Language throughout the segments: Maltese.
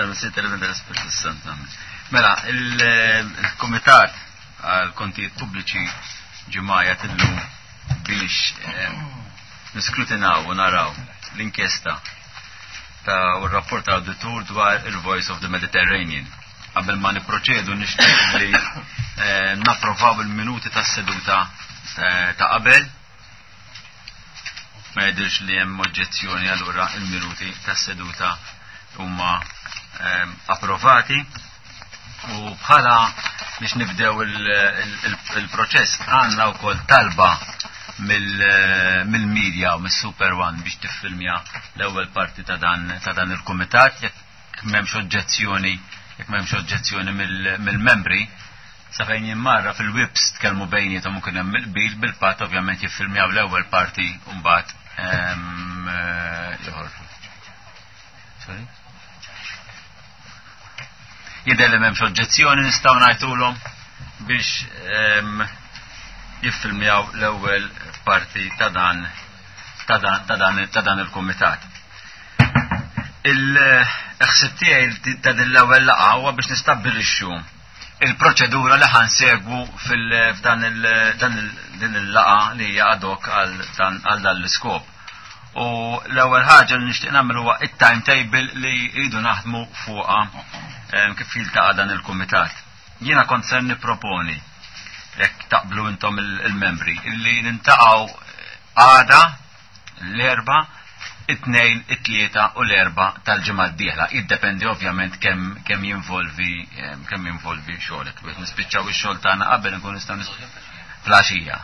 Tal-Missier tal-Iben tal-Ispirtu Santu. Mela, il-Kumitat għal Kontijiet Pubbliċi ġimgħa illum biex eh, niskrutinaw u naraw l-inkjesta ta' u r-rapport ta' auditur dwar il-Voice of the Mediterranean. Qabel ma niproċedu nixtieq li eh, napprovaw il-minuti tas-seduta eh, ta' qabel. Ma jidhirx li hemm oġġezzjoni allura il-minuti tas-seduta huma ehm, approvati. U bħala biex nibdew il-proċess għandna wkoll talba mill-media u mis-Super One biex tiffilmja l-ewwel parti ta' dan ta' dan il-kumitat jekk m'hemmx oġġezzjoni jekk m'hemmx oġġezzjoni mill-membri sa fejn jimmarra fil-wibs tkellmu bejniethom u kien hemm il-qbil bil-patt ovvjament jiffilmjaw l-ewwel parti u mbagħad ehm, eh, joħorġu. Sorry? Jidher li m'hemmx oġġezzjoni nistgħu ngħidulhom biex ehm, jiffilmjaw l-ewwel parti ta' dan ta' dan ta' dan ta' dan il-kumitat. Il-ħsieb tiegħi ta' din l-ewwel laqgħa huwa biex nistabbilixxu il-proċedura li ħansegwu f'dan din il-laqgħa li hija ad hoc għal dan l-iskop. U l-ewwel ħaġa li nixtieq nagħmel huwa it-timetable li jridu naħdmu fuqha ehm, kif jiltaqa' dan il-kumitat. Jiena kont ser nipproponi jekk taqblu intom il-membri illi nintaqgħu għada l-erba it-tnejn, it-tlieta u l-erba tal-ġimgħa d-dieħla. Jiddependi ovvjament kemm kemm jinvolvi ehm, kemm jinvolvi xogħlek. Biex nispiċċaw ix-xogħol tagħna qabel nkun nistgħu fl-għaxija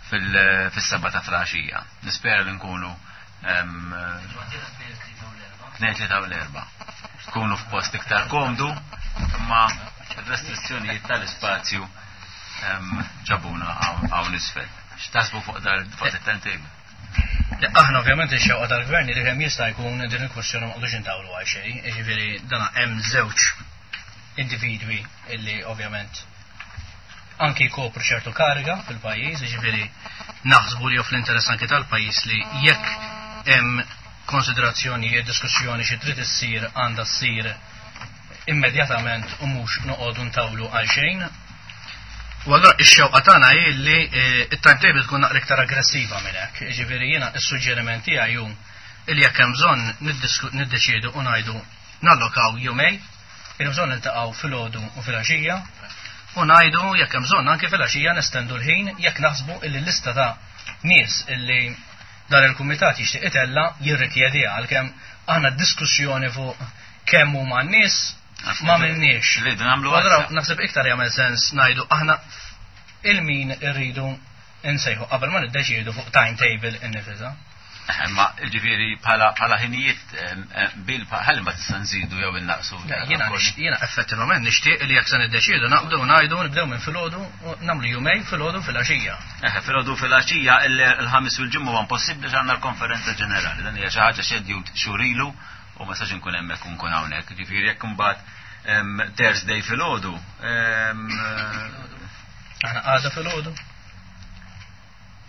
fis-seba ta' flaxija. Nispera li nkunu tnejn tlieta u l-erba. Kunu f'post iktar komdu, imma restrizzjonijiet tal-ispazju ġabuna hawn isfel. X'taħsbu fuq dal fuq it-timetable? Aħna ovvjament ix-xewqa tal-gvern li kemm jista' jkun din il-kwestjoni ma qogħdux intawlu għal xejn, jiġifieri dan hemm żewġ individwi illi ovvjament anki jkopru ċertu kariga fil-pajjiż, jiġifieri naħsbu li fl-interess anki tal-pajjiż li jekk hemm konsiderazzjonijiet, diskussjoni xi trid issir għandha ssir immedjatament u mhux noqogħdu ntawlu għal xejn. U allura ix-xewqa tagħna hi li eh, it-timetable tkun naqra iktar aggressiva minn hekk. Jiġifieri jiena s-suġġeriment tiegħi hu li jekk hemm bżonn niddeċiedu u ngħidu nallokaw jumej Hemm bżonn niltaqgħu filgħodu u filgħaxija u ngħidu jekk hemm bżonn anke filgħaxija nestendu l-ħin jekk naħsbu illi l-lista ta' nies illi dan il-kumitat jixtieq itella jirrikjediha għalkemm aħna diskussjoni fuq kemm huma n-nies ma minniex. Naħseb iktar jagħmel sens ngħidu aħna il-min irridu insejħu qabel ma niddeċiedu fuq timetable innifisha. Eh, ma ġifieri bħala ħinijiet eh, bil ħalli ma tista' nżidu jew innaqsu. Jiena jiena effettivament nixtieq li jekk se niddeċiedu naqbdu ngħidu nibdew minn filgħodu u nagħmlu jumej filgħodu filgħaxija. Eh, filgħodu filgħaxija il-ħamis u l-ġimgħa huwa impossibbli għandna l-konferenza ġenerali. Dan hija xi ħaġa xedjut xurilu u ma sax inkun hemmhekk u nkun hawnhekk. Ġifieri jekk imbagħad Thursday filgħodu. Aħna għada filgħodu.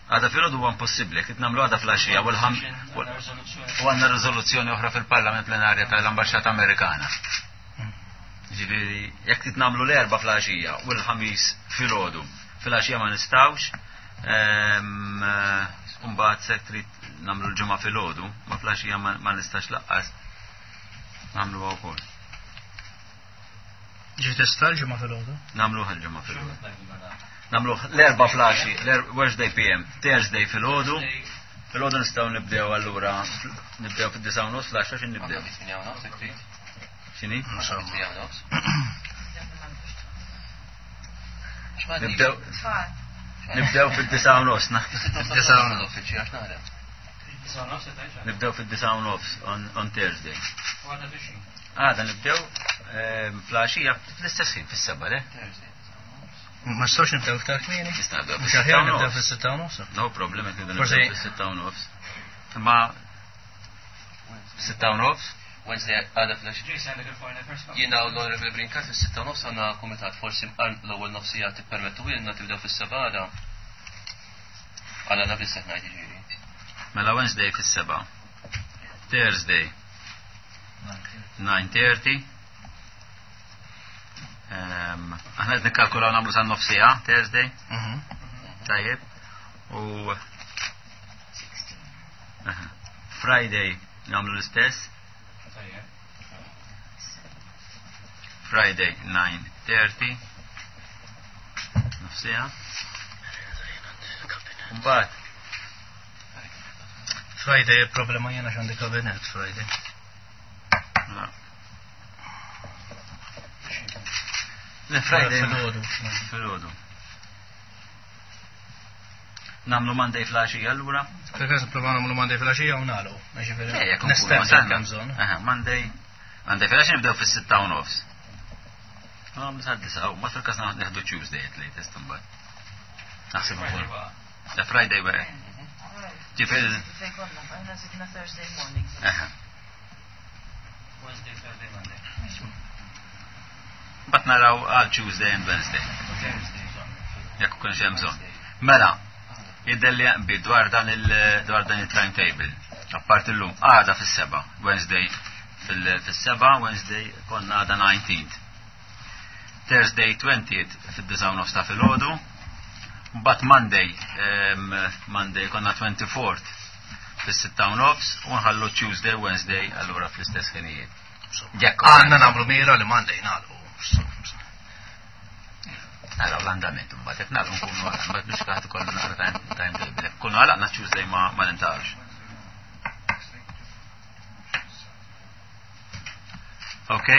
Għada filgħodu huwa impossibbli, qed nagħmlu għada fl-għaxija u u għandna riżoluzzjoni oħra fil-Parlament plenarja tal-Ambaxxata Amerikana. Ġifieri, jekk trid nagħmlu l-erba' fl-għaxija u l-ħamis filgħodu, fil-għaxija ma nistgħux, ehm, mbagħad se trid nagħmlu l-ġimgħa filgħodu, ma fl-għaxija ma nistax laqqas nagħmluha wkoll. Ġi tista l-ġimgħa filgħodu? Nagħmluha l-ġimgħa filgħodu. Nagħmluh l-erba' flaxi, Wednesday PM, Thursday filgħodu. Filgħodu nistgħu nibdew allura nibdew fid-disa' u nofs l-għaxra x'in nibdew. X'inhi? Nibdew Nibdew fid-disa' u nofs. Disa' u nofs. Nibdew fid-disa' u nofs on Thursday. Għada nibdew ehm, fl-għaxija fl-istess ħin fis-seba' le? Ma nistgħux nibdew iktar kmieni? Nista' nibdew fis-sitta aħjar nibdew fis-sitta u nofs. No problem jekk nibdew fis-sitta u nofs. Imma sitta u nofs? Wednesday għada fl Jiena u l-Honorable Brinkat fis-sitta u nofs għandna kumitat forsi l-ewwel nofsija tippermettu ilna tibdew fis-seba' għada. Għala na biss qed ngħid jiġifieri. Mela Wednesday fis-seba'. Thursday. 9:30. Aħna qed nikkalkulaw nagħmlu sa nofsija Thursday. Mhm. Tajjeb. U Friday nagħmlu l-istess. Friday 9:30. Nofsija. Mbagħad Friday il-problema jena xandi kabinet Friday. Le Friday. Filgħodu. Filgħodu. Namlu Monday fl-għaxija allura? Fil-każ nipprova nagħmlu Monday fl-għaxija u nagħlqu. Jiġifieri nistenna kemm bżonn. Monday Monday fil-għaxija nibdew fis-sitta u nofs. Nagħmlu sa disa' ma fil-każ neħdu Tuesday at latest imbagħad. Naħseb ukoll. The Friday wara. Ġifieri. Fejn konna, aħna zidna Thursday morning. Wednesday, Thursday, Monday. Bat naraw għal Tuesday and Wednesday. Jekk ukoll hemm bżonn. Mela, jidher li jaqbi dwar dan il dwar dan il-timetable. Apart illum għada fis-seba, Wednesday fis-seba, Wednesday konna għada 19th. Thursday 20th fid-9 nofs ta' filgħodu. Mbagħad Monday, Monday konna 24th fis-6 nofs u nħallu Tuesday, Wednesday allura fl-istess ħinijiet. Jekk għandna nagħmlu mira li Monday nagħlqu. Naraw l-andament mbagħad jekk nagħlqu nkunu mbagħad biex kaħt ikollu naqra timetable. Kunu għalaqna Tuesday ma nintaqgħux. Ok?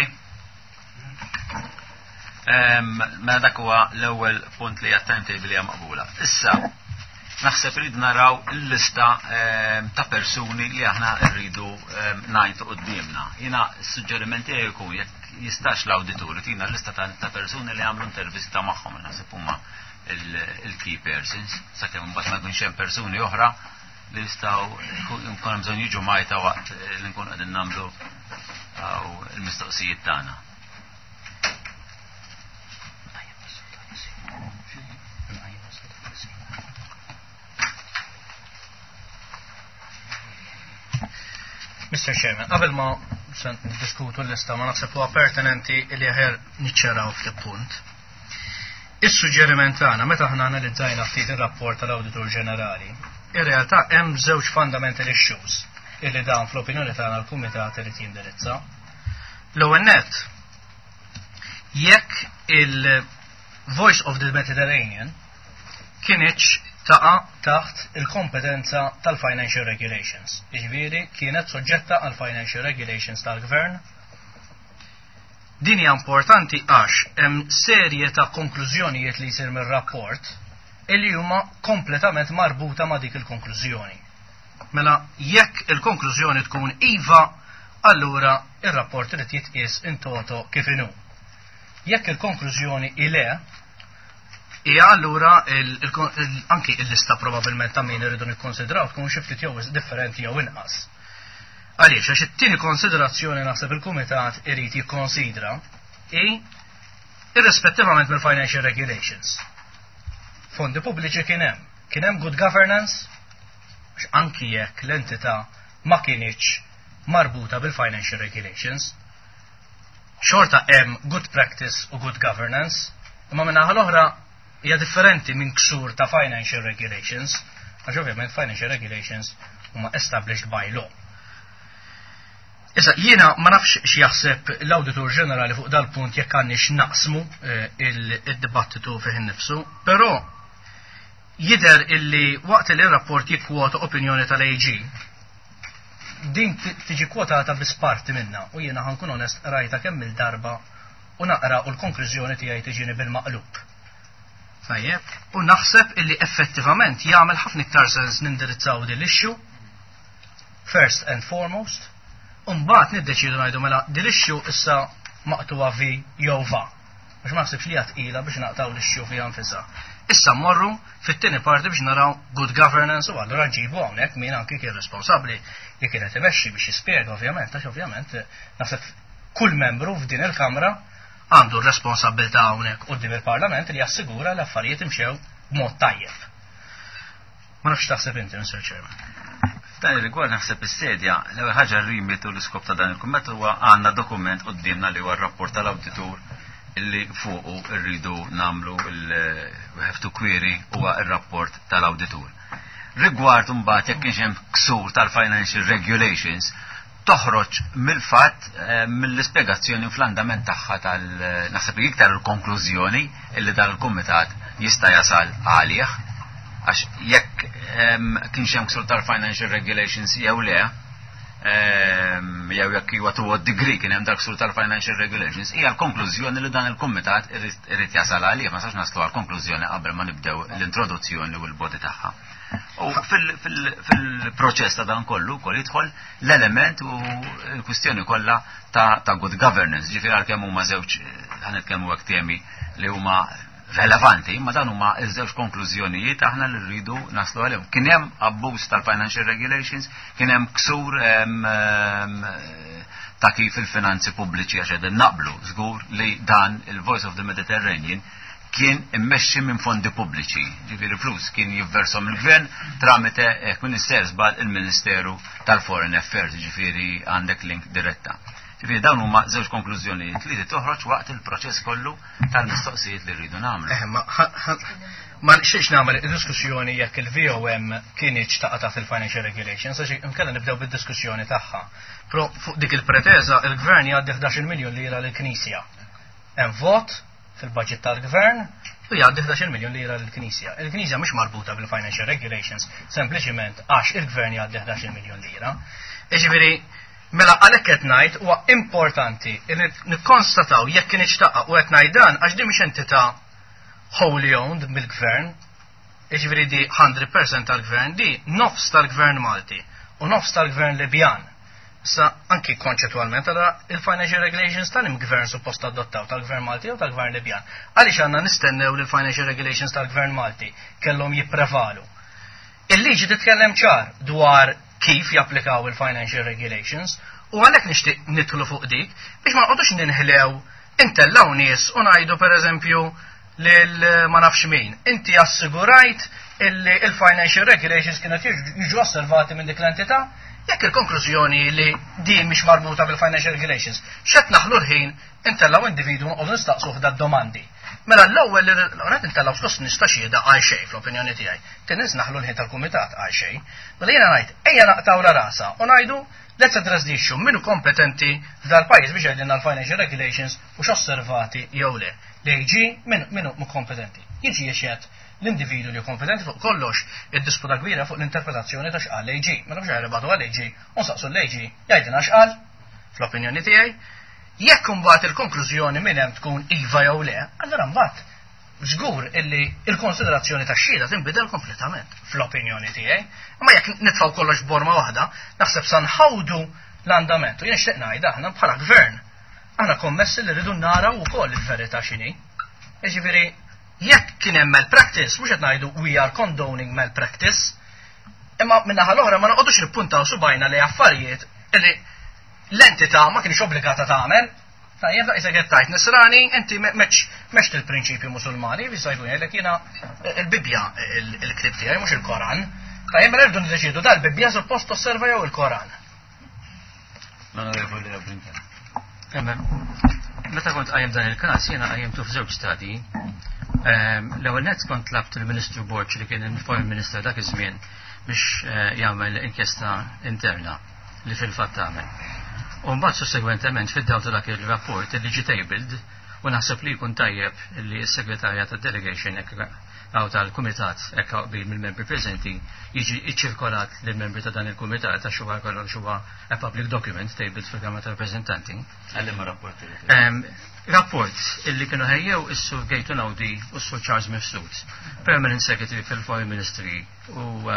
Mela dak huwa l-ewwel punt li għat-timetable hija maqbula. Issa, naħseb rridu naraw il-lista ta' persuni li aħna rridu ngħidu qudiemna. Jiena s-suġġeriment tiegħi jkun jekk jistax l-awditur tina l-lista ta' persuni li għamlu intervista magħhom naħseb huma il-key persons, sakemm mbagħad ma jkunx hemm persuni oħra li jistgħu jkun hemm bżonn jiġu majta waqt li nkun qegħdin nagħmlu il-mistoqsijiet tagħna. Mr. Chairman, qabel ma se diskutu l-lista ma naħseb huwa pertinenti li aħjar niċċaraw ftit punt. Is-suġġeriment tagħna meta aħna analizzajna ftit ir-rapport tal-Awditur Ġenerali, ir-realtà hemm żewġ fundamental issues illi dawn fl-opinjoni tagħna l-Kumitat irid jindirizza. L-ewwel nett, jekk il-Voice of the Mediterranean kinitx taqa' taħt il-kompetenza tal-Financial Regulations. Jiġifieri kienet soġġetta għal Financial Regulations tal-Gvern. Din hija importanti għax hemm serje ta' konklużjonijiet li jsir mir-rapport illi huma kompletament marbuta ma' dik il-konklużjoni. Mela jekk il-konklużjoni tkun iva, allura ir-rapport irid jitqies in toto kif inhu. Jekk il-konklużjoni hi le, hija allura anki il-lista probabbilment ta' min irridu nikkonsidraw tkun xi ftit jew differenti jew inqas. Għaliex, għax it-tieni konsiderazzjoni naħseb il-Kumitat irid jikkonsidra hi irrispettivament mill-financial regulations. Fondi pubbliċi kien hemm. Kien hemm good governance, għax anki jekk l-entità ma kinitx marbuta bil-financial regulations, xorta hemm good practice u good governance, imma min-naħa l-oħra hija differenti minn ksur ta' financial regulations, għax ovvjament financial regulations huma established by law. Issa, jiena ma nafx x'jaħseb l-Awditur Ġenerali fuq dal-punt jekk għandniex naqsmu il-dibattitu fih innifsu, però jidher illi waqt li r-rapport jikkwota opinjoni tal-AG, din tiġi kwotata biss parti minnha u jiena ħa nkun onest qrajtha kemm il-darba u naqra u l-konklużjoni tiegħi tiġini bil-maqlub. Tajjeb, u naħseb illi effettivament jagħmel ħafna iktar sens nindirizzaw din l-issue first and foremost, u mbagħad niddeċiedu ngħidu mela din l-issue issa maqtuha vi jew va. Għax ma naħsibx li hija tqila biex naqtgħu l-issue fiha nfisha. Issa mmorru fit-tieni parti biex naraw good governance u allura nġibu hawnhekk min anki kien responsabbli li kienet imexxi biex jispjega ovvjament, għax ovvjament naħseb kull membru f'din il-Kamra għandu r-responsabbiltà hawnhekk quddiem il-Parlament li jassigura li affarijiet imxew b'mod tajjeb. Ma nafx taħseb inti, Mr. Chairman. F'dan ir-rigward naħseb is-sedja, l-ewwel ħaġa r-remit u l-iskop ta' dan il-kumment huwa għandna dokument quddiemna li huwa r-rapport tal-awditur illi fuqu rridu nagħmlu we have to query huwa r-rapport tal-awditur. Rigward imbagħad jekk kienx hemm ksur tal-financial regulations, toħroġ mill-fatt mill-ispjegazzjoni u fl-andament tagħha tal naħseb li iktar il-konklużjoni illi dan il-kumitat jista' jasal għalih għax jekk kienx hemm ksur tal-financial regulations jew le jew jekk huwa to what degree kien hemm dak ksur tal-financial regulations hija l-konklużjoni li dan il-kumitat irid jasal għalih ma sax naslu għal konklużjoni qabel ma nibdew l-introduzzjoni u l-body tagħha. U fil-proċess ta' dan kollu wkoll jidħol l-element u l-kwistjoni kollha ta' good governance, ġifieri għalkemm huma żewġ ħa nitkellmu hekk temi li huma relevanti, imma dan huma ż-żewġ konklużjonijiet aħna li rridu naslu għalihom. Kien hemm abbuż tal-financial regulations, kien hemm ksur ta' kif il-finanzi pubbliċi għax qegħdin naqblu żgur li dan il-Voice of the Mediterranean kien immexxi minn fondi pubbliċi, ġifieri flus kien jivvershom il-gvern tramite jekk minister żball il-Ministeru tal-Foreign Affairs, ġifieri għandek link diretta. Ġifieri dawn huma żewġ konklużjonijiet li toħroġ waqt il-proċess kollu tal-mistoqsijiet li rridu nagħmlu. Eh, ma ma nixtieqx nagħmel diskussjoni jekk il-VOM kienieċ taqa' taħt il-Financial Regulations, għax inkella nibdew bid-diskussjoni tagħha. Pro fuq dik il-preteza il-gvern jgħaddi 11 miljun lira lill-Knisja. Hemm vot fil-budget tal-gvern u jgħaddi 11 miljun lira lill-Knisja. Il-Knisja mhix marbuta bil-Financial Regulations sempliċiment għax il-gvern jgħaddi 11 miljun lira. Jiġifieri, mela għalhekk qed ngħid huwa importanti li nikkonstataw jekk kien taqa' u qed ngħid dan għax din mhix entità wholly owned mill-gvern, jiġifieri di 100% tal-gvern, di nofs tal-gvern Malti u nofs tal-gvern Libjan. Sa anki konċettualment għala il-financial regulations tal-gvern suppost adottaw tal-gvern Malti u tal-gvern Libjan. Għaliex għandna nistennew li l-financial regulations tal-gvern Malti kellhom jipprevalu. Il-liġi titkellem ċar dwar kif japplikaw il-financial regulations u għalhekk nixtieq nidħlu fuq dik biex ma nqogħdux ninħlew intellaw nies u ngħidu pereżempju lil ma nafx min. Inti assigurajt illi il-financial regulations kienet jiġu osservati minn dik l-entità, jekk il-konklużjoni li din mhix marbuta bil-financial regulations, x'qed naħlu l-ħin intellaw individu nqogħdu nistaqsuh da domandi. Mela l-ewwel li qed intellaw skost nista' xhieda għal xejn fl-opinjoni tiegħi. Tieni naħlu l-ħin tal-kumitat għal xejn. Mela jiena ngħid ejja naqtaw la rasa u ngħidu let's address the issue min hu kompetenti f'dal pajjiż biex jgħidilna l-financial regulations u x'osservati jew le. L-AG min hu kompetenti. Jiġi jixhed l-individu li kompetenti fuq kollox id-disputa kbira fuq l-interpretazzjoni ta' x'qal l-AG. Mela biex għajri għal AG u nsaqsu l-AG jgħidilna x'qal fl-opinjoni tiegħi. Jekk imbagħad il-konklużjoni minn hemm tkun iva jew le, allura mbagħad żgur illi il-konsiderazzjoni ta' xhieda tinbidel kompletament fl-opinjoni tiegħi. Imma jekk nitfgħu kollox borma waħda, naħseb sa nħawdu l-andament. U jien xtieq ngħid aħna bħala gvern aħna kommessi li rridu naraw ukoll il-verità x'inhi. Jiġifieri jekk kien hemm malpractice, mhux qed ngħidu we are condoning malpractice, imma min-naħa l-oħra ma noqogħdux nippuntaw subajna li affarijiet illi l-entità ma kienx obbligata tagħmel. Tajjeb, daqs qed tajt nisrani, inti meċ il-prinċipju musulmani, jista' jkun jgħidlek jiena il-Bibbja il-ktieb tiegħi mhux il-Koran. Tajjeb, mela rridu niddeċiedu dal-Bibbja suppost osserva jew il-Koran. L-Onorevoli Brincat. Meta kont qajjem dan il-każ jiena qajjimtu f'żewġ stadji. L-ewwel nett kont tlabt il-Ministru Borg li kien il-Foreign Minister dak iż-żmien biex jagħmel inkjesta interna li fil-fatt tagħmel. U mbagħad sussegwentement fid-dawl ta' dak il-rapport li ġie tabled u naħseb li jkun tajjeb li s-segretarja tad-delegation għaw tal-kumitat hekk qbil mill-membri preżenti jiġi iċċirkolat lill-membri ta' dan il-kumitat għax huwa kollox huwa a public document tabled fil-Kamra tal-Rappreżentanti. Għallim rapport. Rapport illi kienu ħejjew is-Sur Gaetan Audi u s-Sur Charles Mifsud, Permanent Secretary fil-Foreign Ministry u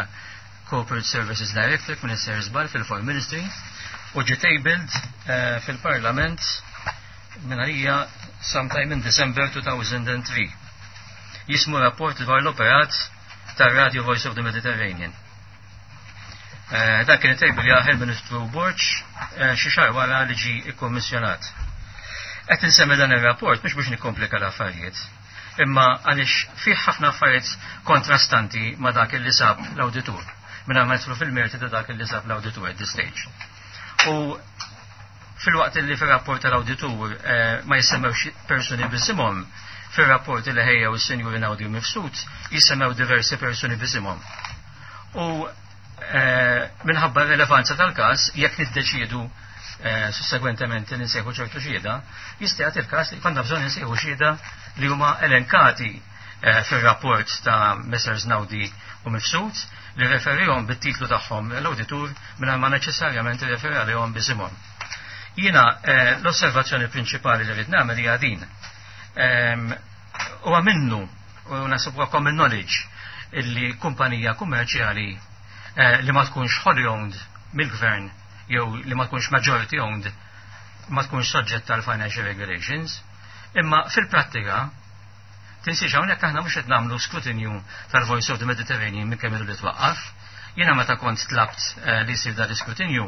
Corporate Services Director, Minister Żball fil-Foreign Ministry, u ġie tabled fil-Parlament minn għalija sometime in December 2003. Jismu rapport dwar l-operat tar-Radio Voice of the Mediterranean. Dan kien table jaħel Ministru Borg xi xahar wara li ġie ikkommissjonat. Qed insemmi dan ir-rapport mhux biex nikkomplika l-affarijiet, imma għaliex fih ħafna affarijiet kontrastanti ma' dak li sab l-awditur. mingħajr ma nidħlu fil-merti ta' dak li sab l-awditur at this stage. U filwaqt li fir-rapport tal-awditur ma jissemmewx persuni b'isimhom, fir-rapport li ħejjew is-Sinjuri Naudi u Mifsud jissemmew diversi persuni b'isimhom. U minħabba r-relevanza tal-każ, jekk niddeċiedu sussegwentement li nsejħu ċertu xhieda, jista' jagħti l-każ li konna bżonn insejħu xhieda li huma elenkati fir-rapport ta' Messrs Naudi u Mifsud li referihom bit-titlu tagħhom l-awditur mingħajr ma neċessarjament irreferi għalihom b'isimhom. Jiena l-osservazzjoni prinċipali li rrid nagħmel hija din. Huwa minnu u naħseb huwa common knowledge illi kumpanija kummerċjali li ma tkunx wholly owned mill-gvern jew li ma tkunx majority owned ma tkunx soġġett tal financial regulations, imma fil-prattika tinsiex hawnhekk aħna mhux qed nagħmlu skrutinju tal-Voice of the Mediterranean minn kemm ilu li twaqqaf. Jiena meta kont tlabt li jsir dan l-iskrutinju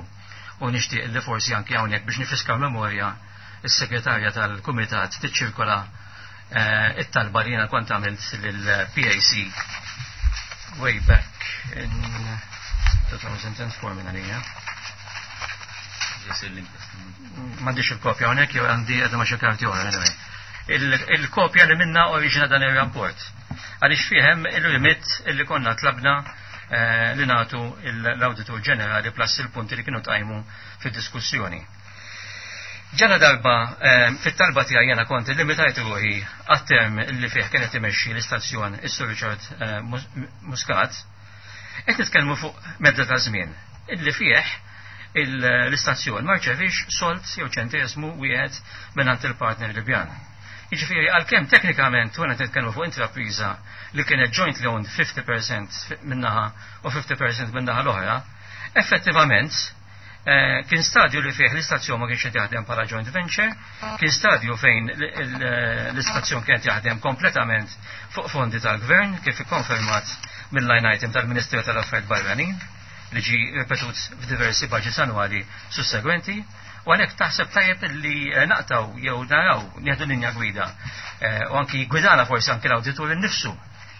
u nixtieq li forsi anki hawnhekk biex nifiska memorja is-segretarja tal-kumitat tiċċirkola it-talba li jiena kont għamilt lill-PAC way back in 2004 minn għalija. M'għandix il-kopja hawnhekk jew għandi qiegħda ma' xi karti oħra anyway. Il-kopja li minna oriġina dan ir-rapport. Għaliex fih hemm il-remit illi konna tlabna li nagħtu l-Awditur Ġenerali plus il-punti li kienu tqajmu fid-diskussjoni. Ġala darba fit-talba tiegħi jiena kont illimitajt ruħi għat-term li fih kienet imexxi l-istazzjon is-Sur Richard Muscat, qed nitkellmu fuq medda ta' żmien illi fih l-istazzjon ma rċevix sold jew ċentesmu wieħed mingħand il-partner Libjan. Jiġifieri għalkemm teknikament wara nitkellmu fuq intrapriża li kienet jointly owned 50% min-naħa u 50% min-naħa l-oħra, effettivament kien stadju li fih l-istazzjon ma kienx qed jaħdem bħala joint venture, kien stadju fejn l-istazzjon kienet jaħdem kompletament fuq fondi tal-gvern kif ikkonfermat mill-line item tal-Ministeru tal-Affarijiet Barranin li ġi ripetut f'diversi budgets annwali sussegwenti. U għalhekk taħseb tajjeb li naqtaw jew naraw nieħdu linja gwida u anki gwidana forsi anki l-awditur innifsu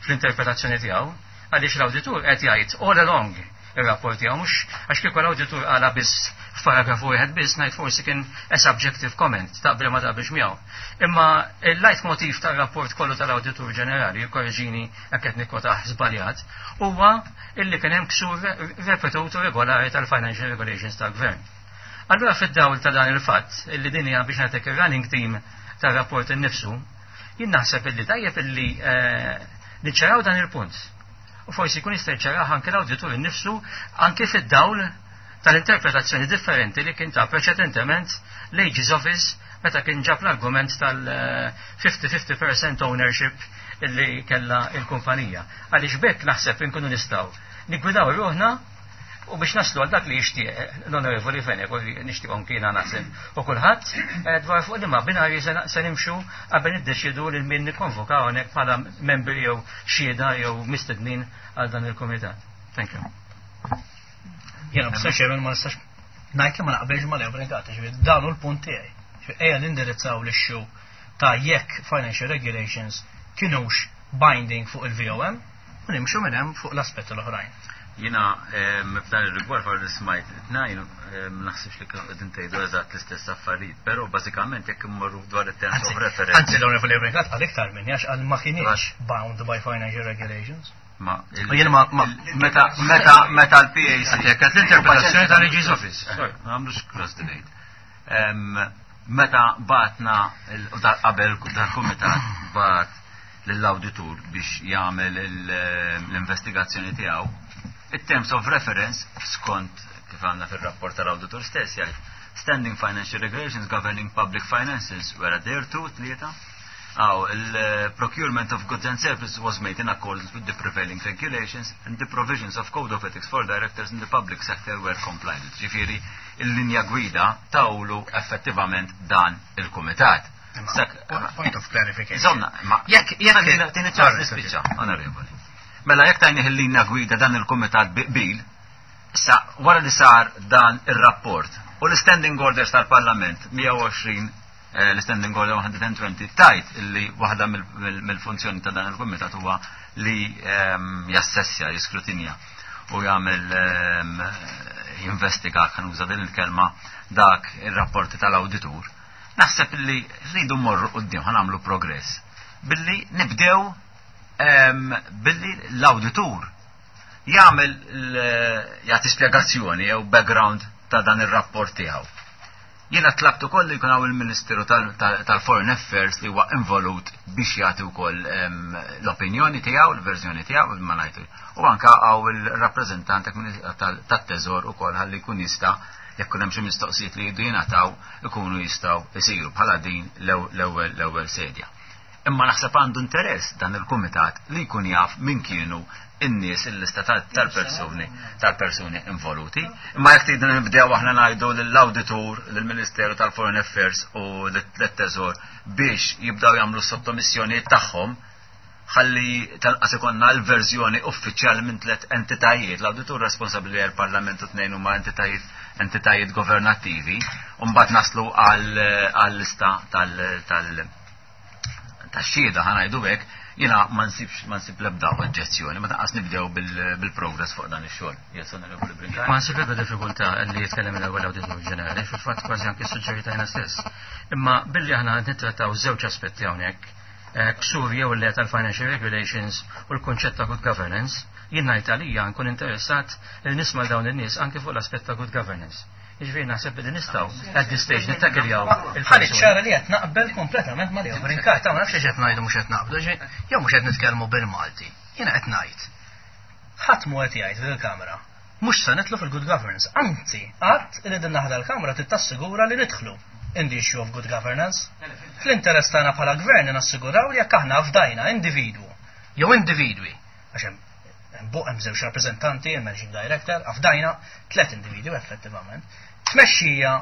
fl-interpretazzjoni tiegħu, għaliex l-awditur qed jgħid all along ir-rapport tiegħu, mhux għax kieku l-awditur qala biss f'paragrafu wieħed biss ngħid forsi kien a subjective comment taqbel ma taqbilx miegħu. Imma il-leitmotiv tar-rapport kollu tal-Awditur Ġenerali, jikkorreġini jekk qed nikkwotah żbaljat, huwa illi kien hemm ksur ripetut u regolari tal-financial regulations tal-gvern. Allura fid-dawl ta' dan il-fatt illi din hija biex nagħtek ir-running team tar-rapport innifsu, jien naħseb illi tajjeb illi niċċaraw dan il-punt. U forsi jkun jista' jċarah anke l-awditur innifsu anke fid-dawl tal-interpretazzjoni differenti li kien ta' preċedentement l-AG's Office meta kien ġab l-argument tal-50-50% ownership illi kella il-kumpanija. Għaliex bekk naħseb inkunu nistgħu niggwidaw ruħna u biex naslu għal dak li jixtieq l-Onorevoli Fenech u nixtieq anki jiena naħseb u kulħadd dwar fuq liema binarji se nimxu qabel niddeċiedu lil min nikkonvokaw hawnhekk bħala membri jew xhieda jew mistednin għal dan il-kumitat. Thank you. Jiena b'sa xejn ma nistax ngħid li ma naqbilx ma' Leo Brincat, ġifieri dan hu l-punt tiegħi. Ġifieri ejja nindirizzaw l-issue ta' jekk financial regulations kinux binding fuq il-VOM u nimxu minn hemm fuq l-aspetti l-oħrajn. Jiena f'dan ir-rigward wara li smajt it-tnejn ma naħsibx li kienu qegħdin tgħidu eżatt l-istess affarijiet, però bażikament jekk immorru dwar it-terms of reference. Anzi, l-Onorevoli Brincat qal iktar minni għax qal ma kienx bound by financial regulations. Ma U jiena meta meta meta l-PAC Jekk qed l-interpretazzjoni tal-AG's Office. Ma nagħmlux cross debate. Meta batna qabel dal-kumitat bat lill-awditur biex jagħmel l-investigazzjoni tiegħu, it-terms of reference skont kif għandna fir-rapport tal-awditur stess jgħid standing financial regulations governing public finances were adhered to tlieta. Aw, il-procurement of goods and services was made in accordance with the prevailing regulations and the provisions of code of ethics for directors in the public sector were complied with. Ġifieri, il-linja gwida tawlu effettivament dan il-kumitat. Point of clarification. Insomma, ma Jekk tini ċans nispiċċa, onorevoli. Mela jekk tajnih il-linja gwida dan il-kumitat bil, sa wara li sar dan ir-rapport u l-standing orders tal-Parlament 120, l-standing order 120 tajt illi waħda mill-funzjoni ta' dan il-kumitat huwa li jassessja, jiskrutinja. u jagħmel jinvestiga, kan uża din il-kelma, dak ir-rapporti tal-awditur, naħseb li rridu mmorru quddiem ħa nagħmlu progress billi nibdew billi l-awditur jagħmel jagħti spjegazzjoni jew background ta' dan ir-rapport tiegħu. Jiena tlabt ukoll li jkun hawn il-Ministeru tal-Foreign Affairs li huwa involut biex jagħti wkoll l-opinjoni tiegħu, l-verżjoni tiegħu, ma ngħidu. U anke hawn il-rappreżentant tat-Teżor ukoll ħalli jkun jista' jekk hemm xi mistoqsijiet li jridu jingħataw ikunu jistgħu jsiru bħala din l-ewwel l-ewwel sedja. Imma naħseb għandu interess dan il-kumitat li jkun jaf min kienu in-nies il-lista tal-persuni tal-persuni involuti. Imma jekk tridu nibdew aħna ngħidu lill-awditur, lill-Ministeru tal-Foreign Affairs u lit-Teżor biex jibdew jagħmlu s-sottomissjonijiet tagħhom ħalli tal-qas ikonna l-verżjoni uffiċjali minn tliet entitajiet, l-awditur responsabbli għall-Parlament u tnejn huma entitajiet entitajiet governattivi, u mbagħad naslu għal-lista tal- tax-xhieda ħa ngħidu hekk, jiena ma nsibx ma nsib l-ebda oġġezzjoni, ma tanqas nibdew bil-progress fuq dan ix-xogħol. Yes, Onorevoli Brincat. Ma nsib l-ebda diffikultà li jitkellem l-ewwel Awditur Ġenerali, fil-fatt kważi anke suġġerita jiena stess. Imma billi aħna nittrattaw żewġ aspetti hawnhekk, eh, ksur jew le tal-financial regulations u l-kunċett ta' good governance, jien ngħid għalija nkun interessat li nisma' dawn in-nies anke fuq l-aspett ta' good governance. Jiġifieri naħseb li nistgħu at this stage nittakiljaw il-Ħalli ċara li qed naqbel kompletament ma' Leo Brincat, ma nafx qed ngħidu mhux qed naqblu, jew mhux qed nitkellmu bil-Malti. Jiena qed ngħid. Ħadd mhu qed jgħid fil-Kamra mhux se nidħlu fil-good governance. Anzi, qatt li din naħda l-Kamra tittassigura li nidħlu in the issue of good governance. Fl-interess tagħna bħala gvern nassiguraw li jekk aħna fdajna individwu jew individwi għax hemm Hemm hemm żewġ rappreżentanti, il-managing director, afdajna tliet individwi effettivament. Tmexxija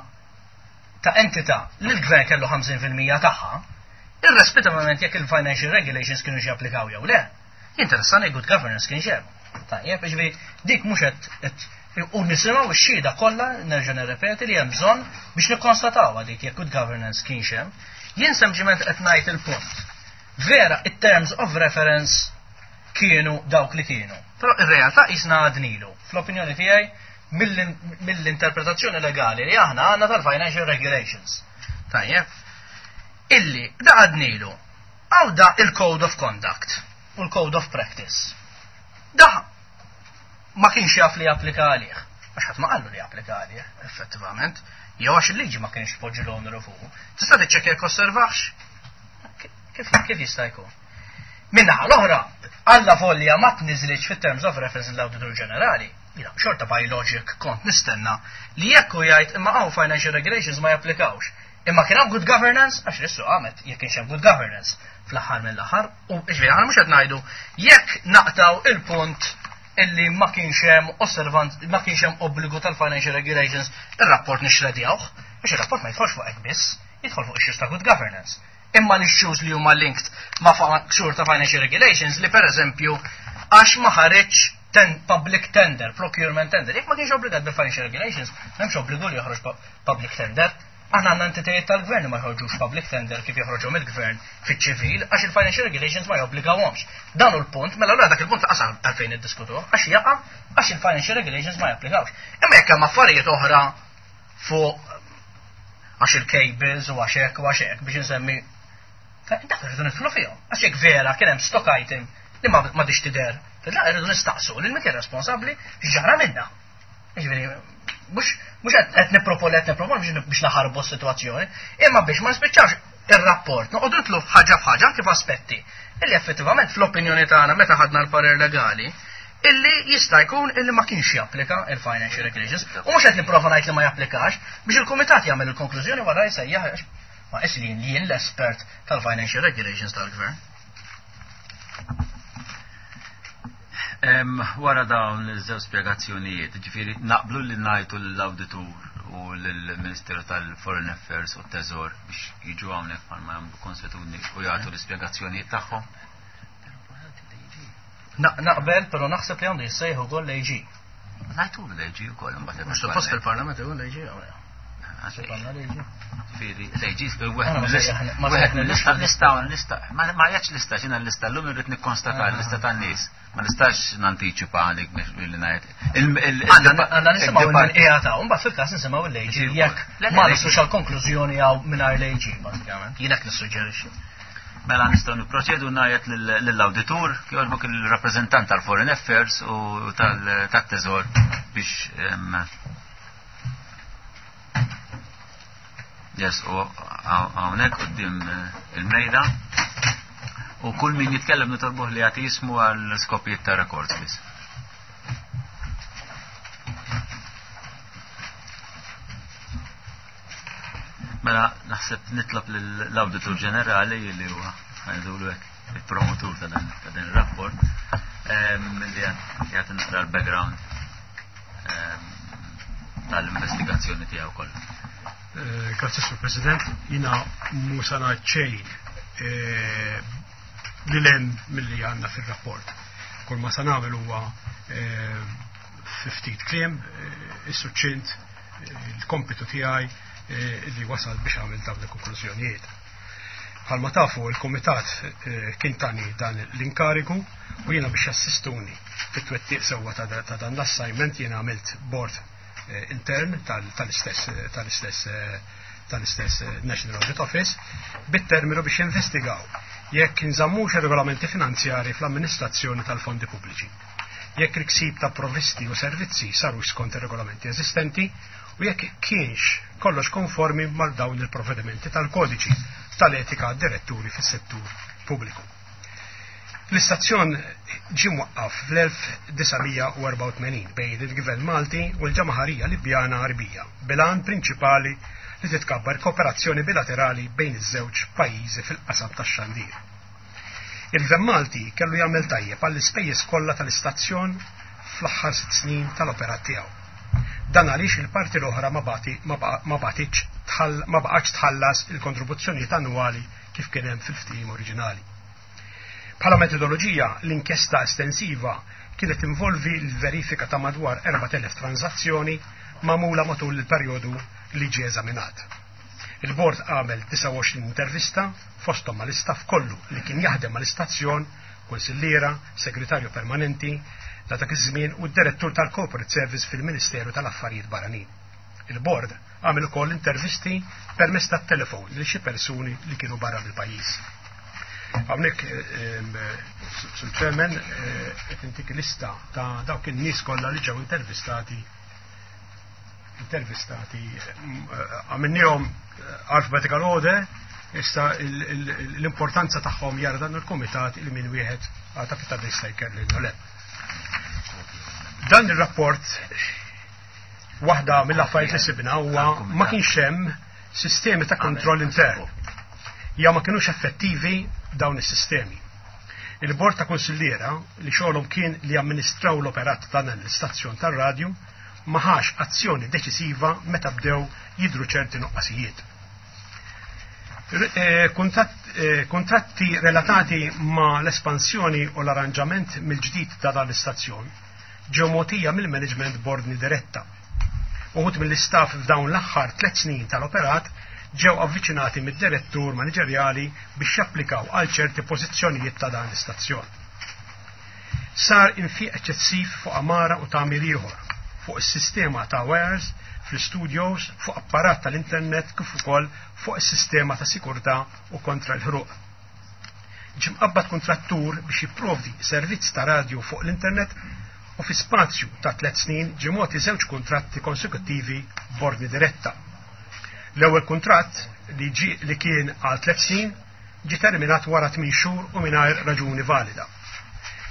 ta' entità li l-gvern kellu 50% tagħha, irrispettivament jekk il-financial regulations kienu japplikaw jew le. Jinteressani good governance kien hemm. Tajjeb, ġifieri dik mhux qed u nisimgħu x-xhieda kollha nerġa' nirrepeti li hemm bżonn biex nikkonstataw dik jekk good governance kienx hemm. Jien sempliċement qed ngħid il-punt. Vera, it-terms of reference kienu dawk li kienu. Però ir-realtà jisna għadnilu. Fl-opinjoni tiegħi mill-interpretazzjoni legali li aħna għandna tal-financial regulations. Tajjeb. Illi da għadnilu għaw da il-code of conduct u l-code of practice. Da ma kienx jaf li japplika għalih. Għax ħadd ma qallu li japplika għalih, effettivament. Jew għax il-liġi ma kienx poġġi l-oneru fuq. Tista' tiċċekkja jekk osservax? Kif kif jista' jkun? Minnaħa l-oħra, alla volja ma tniżlitx fit-terms of reference l-Awditur Ġenerali. Jiena xorta by logic kont nistenna li jekk hu jgħid imma hawn financial regulations ma japplikawx. Imma kien hawn good governance għax l-issu qamet jekk kienx hemm good governance fl-aħħar mill-aħħar u ġifieri aħna mhux qed ngħidu jekk naqtaw il-punt illi ma kienx hemm osservant ma kienx hemm obbligu tal-financial regulations ir-rapport nixredjawh biex ir-rapport ma jidħolx fuq hekk biss, jidħol fuq issues ta' good governance. Imma l-issues li huma linked ma' ksur ta' financial regulations li per eżempju għax ma ħareġ ten public tender, procurement tender, jekk ma kienx obbligat bil-financial regulations, m'hemmx obbligu li joħroġ public tender. Aħna għandna entitajiet tal-gvern li ma jħorġux public tender kif joħroġu mill-gvern fiċ-ċivil għax il-financial regulations ma jobbligawhomx. Dan hu l-punt, mela allura dak il-punt laqas għalfejn iddiskutuh, għax jaqa' għax il-financial regulations ma japplikawx. Imma jekk hemm affarijiet oħra fuq għax il-cables u għax hekk u għax hekk biex insemmi dak irridu nidħlu fihom. Għax jekk vera kien hemm stock item li ma m'għadix tidher. La irridu nistaqsu lil min kien responsabbli x'ġara minna. Jiġifieri mhux mhux qed nipproponi qed nipproponi biex naħarbu s-sitwazzjoni, imma biex ma nispiċċawx ir-rapport noqogħdu nitlu ħaġa f'ħaġa anke f'aspetti illi effettivament fl-opinjoni tagħna meta ħadna l-parir legali illi jista' jkun illi ma kienx japplika il-financial regulations u mhux qed nipprova ngħid li ma japplikax biex il-kumitat jagħmel il-konklużjoni wara jsejjaħ ma is li jien l-espert tal-financial regulations tal-gvern. Wara dawn iż-żewġ spjegazzjonijiet, ġifieri naqblu li ngħidu lill-awditur u lill-Ministeru tal-Foreign Affairs u t-Teżor biex jiġu hawnhekk bħalma jagħmlu konsuetudni u jagħtu l-ispjegazzjonijiet tagħhom. Naqbel, però naħseb li għandu jissejħu ukoll l-AG. Ngħidu l-AG ukoll imbagħad. Mhux suppost fil-Parlament ukoll l-AG. Ġifieri, l-AGs wieħed mill-lista nistgħu nista' ma jgħidx lista x'inha l-lista llum irrid nikkonstata l-lista tan-nies. Ma nistax nantiċipa għalik billi ngħid. Għandna nisimgħu minn qiegħed hawn, mbagħad fil-każ nisimgħu l-AG jekk ma nislux għal konklużjoni hawn mingħajr l-AG bażikament. Jien hekk nissuġġerixxi. Mela nistgħu nipproċedu ngħid lill-awditur kif il-rappreżentant tal-Foreign Affairs u tat-Teżor biex Yes, u hawnhekk quddiem il-mejda. U kull min jitkellem nitolbuh li jagħti jismu għal skopijiet ta' records biss. Mela naħseb nitlob l-Awditur Ġenerali li huwa ngħidulu hekk il-promotur ta' dan ir-rapport li jagħti naqra l-background tal-investigazzjoni tiegħu kollha. Grazzi Sur President, jina musa ngħid xejn li lem milli għandna fir-rapport. Kull ma sa nagħmel huwa fi ftit kliem, is-suċċint, il-kompitu tiegħi li wasal biex għamil dawn il-konklużjonijiet. Bħalma tafu il-Kumitat kien tani dan l-inkarigu u jiena biex jassistuni fit-twettiq sewwa ta' dan l-assignment jiena għamilt board intern tal-istess tal-istess tal-istess National Audit Office bit-terminu biex jinvestigaw jekk inżammux ir-regolamenti finanzjari fl-amministrazzjoni tal-fondi pubbliċi. Jekk il-ksib ta' provvisti u servizzi saru skont ir-regolamenti eżistenti u jekk kienx kollox konformi mal dawn il-provvedimenti tal-kodiċi tal-etika għad-diretturi fis-settur pubbliku. L-istazzjon ġie mwaqqaf fl-1984 bejn il-Gvern Malti u l-Ġamaħarija Libjana Għarbija bil-għan prinċipali li titkabbar kooperazzjoni bilaterali bejn iż-żewġ pajjiżi fil-qasam tax-xandir. Il-Gvern Malti kellu jagħmel tajjeb għall-ispejjeż kollha tal-istazzjon fl-aħħar 6 snin tal-operat tiegħu. Dan għaliex il-parti l-oħra ma bagħtitx ma baqgħetx tħallas il-kontribuzzjonijiet annwali kif kien hemm fil-ftehim oriġinali. Bħala metodoloġija, l-inkjesta estensiva kienet tinvolvi l-verifika ta' madwar 4,000 transazzjoni magħmula matul il-perjodu li ġie eżaminat. Il-bord għamel 29 intervista fosthom mal-istaff kollu li kien jaħdem mal-istazzjon, kunsilliera, segretarju permanenti ta' dak iż-żmien u d-direttur tal-Corporate Service fil-Ministeru tal-Affarijiet Barranin. Il-bord għamel ukoll intervisti permezz tat-telefon lil xi persuni li kienu barra mill-pajjiż. Hawnhekk, Sur Chairman, qed intik lista ta' dawk in-nies kollha li ġew intervistati intervistati għamilniehom alphabetical order, issa l-importanza tagħhom jara dan il-kumitat il min wieħed għata fit jista' jkellu le. Dan ir-rapport waħda mill-affarijiet li sibna huwa ma kienx hemm sistemi ta' kontroll intern. Ja ma kienux effettivi dawn is-sistemi. Il-bord ta' konsilliera li xogħolhom kien li amministraw l-operat ta' dan l-istazzjon tar-radju ma ħax azzjoni deċisiva meta bdew jidru ċerti nuqqasijiet. Kontratti relatati ma l-espansjoni u l-arranġament mill-ġdid ta' dan l-istazzjon ġew mogħtija mill-management b'ordni diretta. Uħud mill-istaff f'dawn l-aħħar 3 snin tal-operat ġew avviċinati mid-direttur maniġerjali biex japplikaw għal ċerti pożizzjonijiet ta' dan l-istazzjon. Sar infiq eċċessiv fuq amara u tagħmir ieħor, fuq is-sistema ta' wires fl-studios, fuq apparat tal-internet kif ukoll fuq is-sistema ta' sikurtà u kontra l-ħruq. Ġie mqabbad kuntrattur biex jipprovdi servizz ta' radju fuq l-internet u fi spazju ta' 3 snin ġie mogħti żewġ kuntratti konsekuttivi b'ordni diretta. L-ewwel kuntratt li ġi li kien għal 3 snin ġie terminat wara 8 xhur u mingħajr raġuni valida.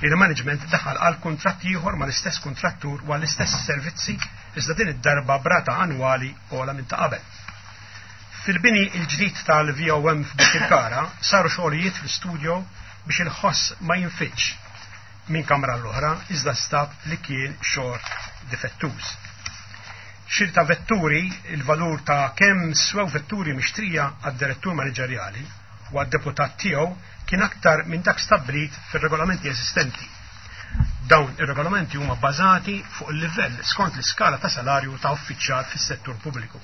Il-management daħal għal kuntratt ieħor mal-istess kuntrattur u għall-istess servizzi iżda din id-darba brata annwali ogħla minn ta' qabel. Fil-bini il-ġdid tal-VOM f'Birkirkara saru xogħlijiet fl-studio biex il-ħoss ma jinfitx minn kamra l-oħra iżda stab li kien xogħol difettuż. Xiri ta' vetturi, il-valur ta' kemm swew vetturi mixtrija għad-direttur maniġerjali u għad-deputat tiegħu kien aktar minn dak stabbilit fir-regolamenti eżistenti. Dawn ir-regolamenti huma bbażati fuq il-livell skont l-iskala ta' salarju ta' uffiċjal fis-settur pubbliku.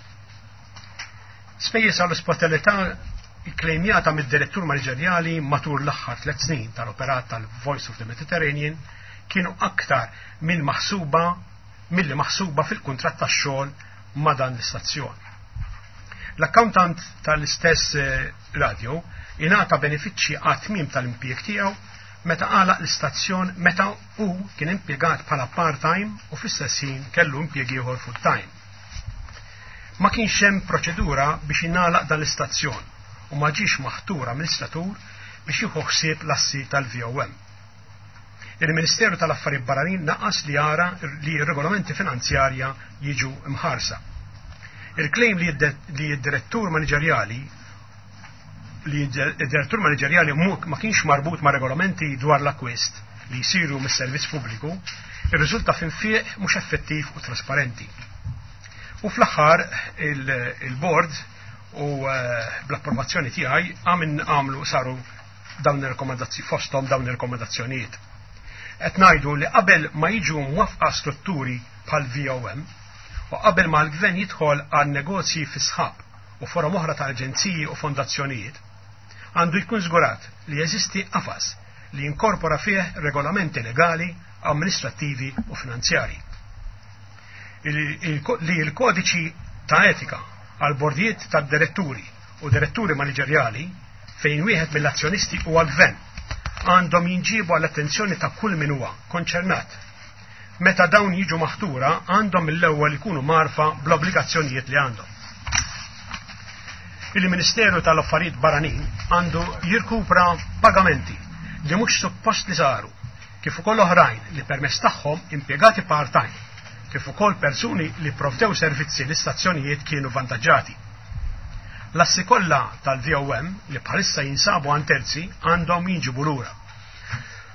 Spejjeż għall-ospitalità ikklejmjata mid-direttur maniġerjali matul l-aħħar 3 snin tal-operat tal-Voice of the Mediterranean kienu aktar minn maħsuba milli maħsuba fil-kuntratt tax-xogħol ma' dan l-istazzjon. L-accountant tal-istess radio ingħata benefiċċji għat-tmiem tal-impjieg tiegħu meta għalaq l-istazzjon meta hu kien impjegat bħala part-time u fl-istess ħin kellu impjieg ieħor full-time. Ma kienx hemm proċedura biex ingħalaq dan l-istazzjon u ma ġiex maħtur amministratur biex jieħu ħsieb l-assi tal-VOM. Il-Ministeru tal-Affarijiet Barranin naqas li jara li r-regolamenti finanzjarja jiġu mħarsa. Il-claim li d-direttur maniġerjali li d-direttur maniġerjali ma kienx marbut ma' regolamenti dwar l-akkwist li jsiru mis-servizz pubbliku irriżulta f'infiq mhux effettiv u trasparenti. U fl-aħħar il-board u bl-approvazzjoni tiegħi għamlu saru dawn ir-rekomendazzjoni fosthom dawn ir-rekomendazzjonijiet. Qed ngħidu li qabel ma jiġu mwafqa strutturi bħal VOM u qabel ma l-gvern jidħol għal negozji fi sħab u forom oħra ta' aġenziji u fondazzjonijiet, għandu jkun żgurat li jeżisti qafas li jinkorpora fih regolamenti legali, amministrattivi u finanzjari. Li l-kodiċi ta' etika għal bordijiet ta' diretturi u diretturi maniġerjali fejn wieħed mill-azzjonisti huwa l-gvern għandhom jinġibu għall-attenzjoni ta' kull min huwa konċernat. Meta dawn jiġu maħtura għandhom mill-ewwel ikunu marfa bl-obbligazzjonijiet li għandhom. Il-Ministeru tal-Affarijiet Barranin għandu jirkupra pagamenti li mhux suppost li saru, kif ukoll oħrajn li permezz tagħhom impjegati part-time, kif ukoll persuni li provdew servizzi l-istazzjonijiet kienu vantaġġati. L-assi kollha tal-VOM li bħalissa jinsabu għand terzi għandhom jinġibu lura.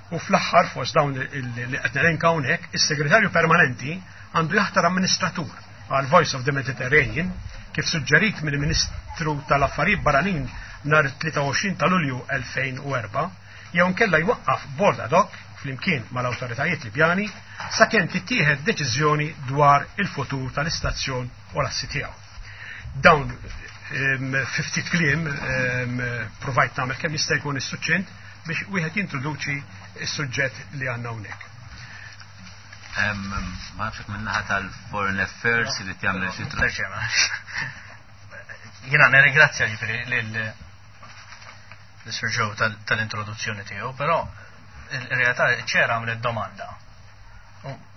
U fl-aħħar fost dawn li qed nelenka hawnhekk, is-Segretarju Permanenti għandu jaħtar amministratur għal Voice of the Mediterranean kif suġġerit mill-Ministru tal-Affarijiet Barranin nhar 23 ta' Lulju 2004, jew inkella jwaqqaf board ad hoc flimkien mal-awtoritajiet Libjani sakemm tittieħed deċiżjoni dwar il-futur tal-istazzjon u l-assi tiegħu. Dawn fi ftit kliem provajt nagħmel kemm jista' jkun is-suċċint biex wieħed jintroduċi s-suġġett li għandna hawnhekk. Ma nafx min-naħa tal-Foreign Affairs li tagħmel xi Jiena nirringrazzja ġifieri lil Sir Joe tal-introduzzjoni tiegħu, però il-realtà ċera għamlet domanda.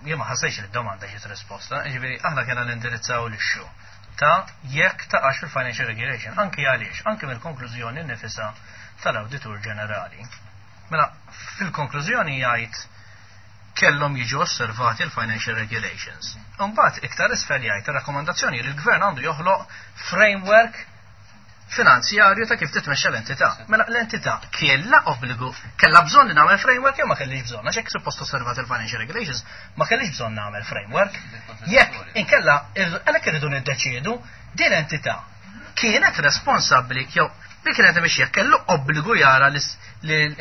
Jien ma ħassejx li d-domanda ġiet risposta, ġifieri aħna kena nindirizzaw l-issue ta' jekk taqax fil-financial regulation, anki għaliex, anki mill-konklużjoni nifisa tal-Awditur Ġenerali. Mela, fil-konklużjoni jgħid kellhom jiġu osservati l-financial regulations. Imbagħad iktar isfel jgħid ir-rakkomandazzjoni li l-gvern għandu joħloq framework finanzjarju ta' kif titmexxa l-entità. Mela l-entità kellha obbligu, kellha bżonn li nagħmel framework jew ma kellix bżonn, għax hekk suppost osservat il-financial regulations, ma kellix bżonn nagħmel framework. Jekk inkella għalhekk irridu niddeċiedu din entità kienet responsabbli jew li kienet imexxija kellu obbligu jara li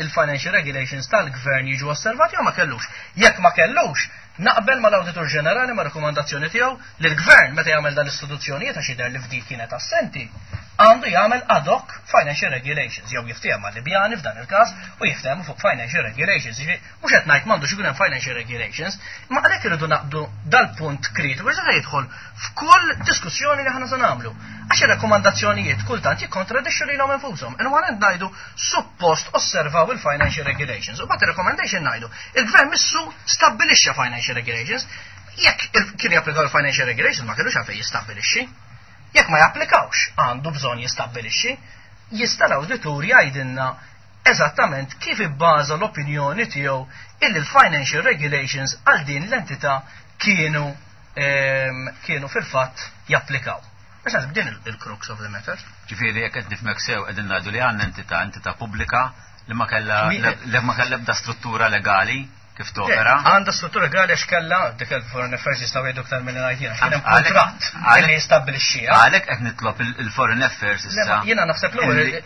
l-financial regulations tal-gvern jiġu osservati jew ma kellux. Jekk ma kellux, naqbel mal-Awditur Ġenerali ma' rekomandazzjoni tiegħu li l-gvern meta jagħmel dan l-istituzzjonijiet għax jidher li f'dik kienet assenti, għandu jagħmel ad hoc financial regulations jew jiftehom mal-Libjani f'dan il-każ u jiftehmu fuq financial regulations. Jiġifieri mhux qed ngħid m'għandux ikun hemm financial regulations, imma għalhekk irridu naqbdu dal-punt kritiku għax se jidħol f'kull diskussjoni li aħna se nagħmlu. Għax ir-rakkomandazzjonijiet kultant jikkontradixxu lilhom infushom. In one hand ngħidu suppost osservaw il-financial regulations u bagħad ir-recommendation ngħidu il-gvern missu stabbilixxa financial regulations. Jekk kien japplikaw il-financial regulations ma kellux għalfejn jistabbilixxi. Jekk ma japplikawx għandu bżonn jistabbilixxi, jista' l-awditur jgħidilna eżattament kif ibbaża l-opinjoni tiegħu illi l-financial regulations għal din l-entità kienu fil-fatt japplikaw. Biex naħseb din il-crux of the matter. Ġifieri jekk qed nifhmek sew qegħdin ngħidu li għandna entità pubblika li ma kellha li ma kellha ebda struttura legali kif topera. Għandha struttura legali għax kellha dik il-Foreign Affairs jistgħu jgħidu aktar milli ngħid jiena, kien hemm kuntratt li jistabbilixxiha. Għalhekk qed nitlob il-Foreign Affairs issa. Jiena naħseb l-ewwel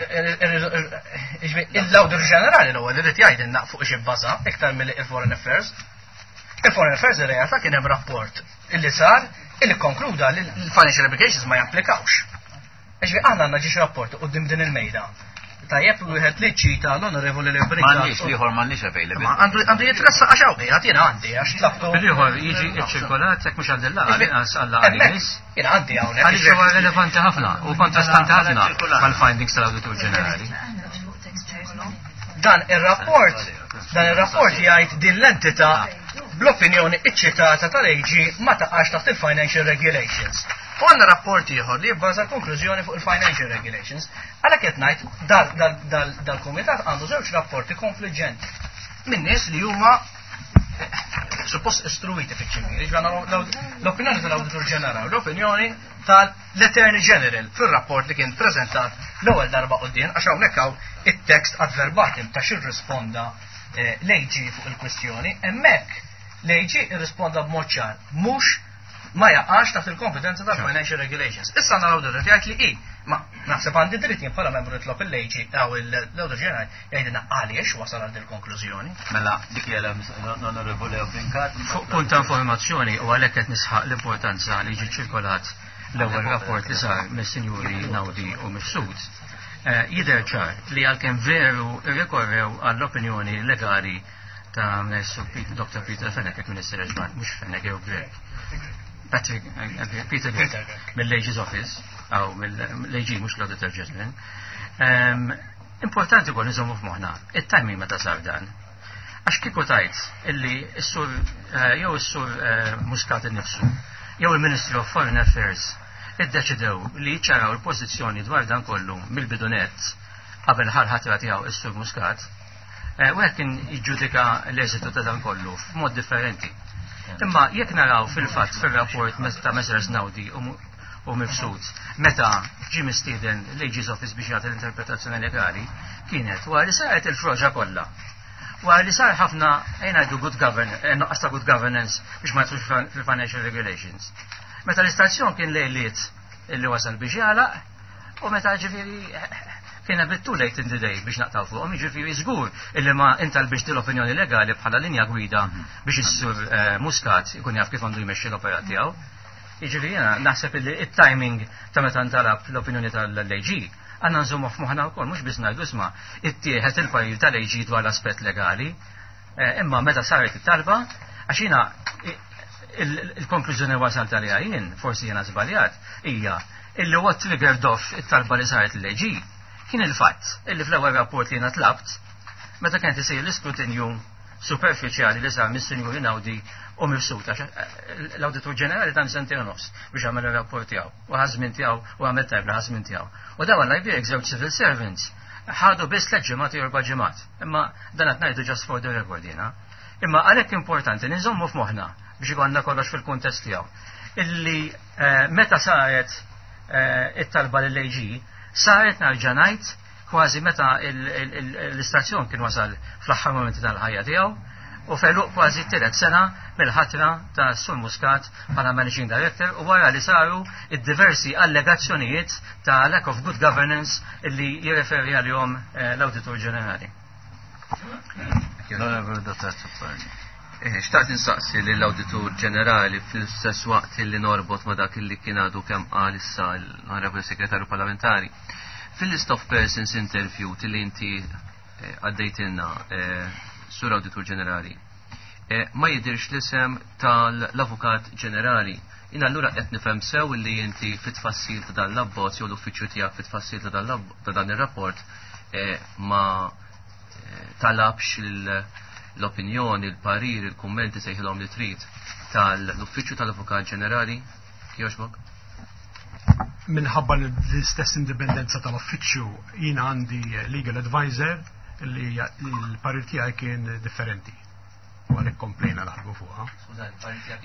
l-Awditur Ġenerali l-ewwel irid jgħidilna fuq xi bbaża iktar milli il-Foreign Affairs. Il-Foreign Affairs ir-realtà kien hemm rapport illi sar illi konkluda li l-financial obligations ma japplikawx. Ġifieri aħna għandna ġiex rapporti quddiem din il-mejda. Tajjeb wieħed li ċita l-onorevoli li Brincat. M'għandniex l-ieħor m'għandniex available. Ma għandu jitressaq għax hawn qiegħed jiena għandi għax tlabtu. Il-ieħor jiġi ċċirkolat jekk mhux għand il-laqgħa l-inqas għal-laqgħa li jmiss. Jiena għandi hawnhekk. Għaliex huwa relevanti ħafna u kontrastanti ħafna mal-findings tal-Awditur Ġenerali. Dan ir-rapport, dan ir-rapport jgħid din l-entità bl-opinjoni iċċitata tal-AG ma taqax taħt il-Financial Regulations. U għandna rapport ieħor li jibbaża l-konklużjoni fuq il-Financial Regulations. Għalhekk qed ngħid dal-kumitat għandu żewġ rapporti konfliġġenti minn nies li huma suppost istruiti fiċ-ċivili, l-opinjoni tal-Awditur Ġenerali, l-opinjoni tal-Attorney General fir-rapport li kien preżentat l-ewwel darba quddiem għax hawnhekk hawn it-text ad verbatim ta' x'irrisponda l-AG fuq il-kwistjoni, hemmhekk l-AG irrisponda b'mod ċar mhux ma jaqax taħt il-kompetenza tal-Financial Regulations. Issa għandna l-awditur jgħid li hi, ma naħseb għandi dritt jien bħala membru nitlob il-AG għaw l-Awditur Ġenerali jgħidilna għaliex wasal għal dil-konklużjoni. Mela, dik hija l-Onorevoli Brincat. Fuq punt ta' informazzjoni u għalhekk qed nisħaq l-importanza li jiġi ċirkolat l-ewwel rapport li sar mis-Sinjuri Naudi u Mifsud. Jidher ċar li għalkemm veru rrikorrew għall-opinjoni legali ta' Dr. Peter Fenech, jekk Minister Eġman, mhux Fenech jew Grech. Patrick, Peter Grech, mill-AG's Office, aw mill-AG mhux l-Auditor General. Importanti wkoll nżommu f'moħħna it-timing meta sar dan. Għax kieku tajt illi s-sur jew is-sur Muscat innifsu jew il-Ministry of Foreign Affairs iddeċidew li jiċċaraw il-pożizzjoni dwar dan kollu mill-bidunett qabel ħal-ħatra tiegħu is-sur Muscat, wieħed kien jiġġudika l-eżitu ta' dan kollu f'mod differenti. Imma jekk naraw fil-fatt fir-rapport ta' Messrs Naudi u Mifsud meta ġie mistieden l-AG's Office biex jagħti l-interpretazzjoni legali kienet wara li saret il-froġa kollha. Wara li sar ħafna ejja ngħidu good governance, nuqqas ta' good governance biex ma jidħlux fil-financial regulations. Meta l-istazzjon kien lejliet illi wasal biex jagħlaq u meta ġifieri kien a bit too late in the day biex naqtaw fuqhom, jiġifieri żgur illi ma intalbix l-opinjoni legali bħala linja gwida biex is-sur Muscat ikun jaf kif għandu jmexxi l-operat tiegħu. Jiġifieri jiena naħseb illi it-timing ta' meta ntalab l-opinjoni tal-AG għandna nżommu f'moħħna wkoll mhux biss ngħidu isma' ittieħed il-parir tal-AG dwar l-aspett legali, imma meta saret it-talba għax jiena il-konklużjoni wasalt għaliha jien, forsi jiena żbaljat, hija illi what triggered off it-talba li saret l-AG kien il-fatt illi fl-ewwel rapport li jiena tlabt meta kienet isir l-iskrutinju superfiċjali li sar mis-Sinjuri Naudi u Mifsud, għax l-Awditur Ġenerali ta' sentejn u nofs biex għamel ir-rapport tiegħu u ħażmin tiegħu u għamel tajb li ħażmin tiegħu. U dawn għal jbierek żewġ civil servants ħadu biss tliet ġimgħat jew erba' ġimgħat. Imma dan qed ngħidu just for the record jiena. Imma għalhekk importanti li nżommu f'moħħna biex ikollna kollox fil-kuntest tiegħu. Illi meta saret it-talba lill-AG saret narġa' ngħid kważi meta l-istazzjon kien wasal fl-aħħar momenti tal-ħajja tiegħu u feluq kważi t-tielet sena mill-ħatra ta' Sur Muscat bħala Managing Director u wara li saru id-diversi allegazzjonijiet ta' lack of good governance illi jirreferi għalihom l-Awditur Ġenerali. L-Onorevoli Dottor Azzopardi. Xtaqt insaqsi lill-Awditur Ġenerali fl-istess waqt li norbot ma' dak li kien għadu kemm qal issa l-Onorevoli Segretarju Parlamentari. Fil-list of persons interviewed li inti għaddejtilna, Sur Awditur Ġenerali, ma jidirx l-isem tal-Avukat Ġenerali. Jien allura qed nifhem sew li inti fit-tfassil ta' dan l-abbozz jew l-uffiċċju tiegħek fit-tfassil ta' dan ir-rapport ma talabx l-opinjoni, il-parir, il-kummenti sejħilhom li trid tal-Uffiċċju tal-Avukat Ġenerali, kjoġbok? Minħabba l-istess indipendenza tal-uffiċċju jiena għandi legal advisor li l-parir tiegħi kien differenti. U għalhekk komplejna naħdmu fuqha.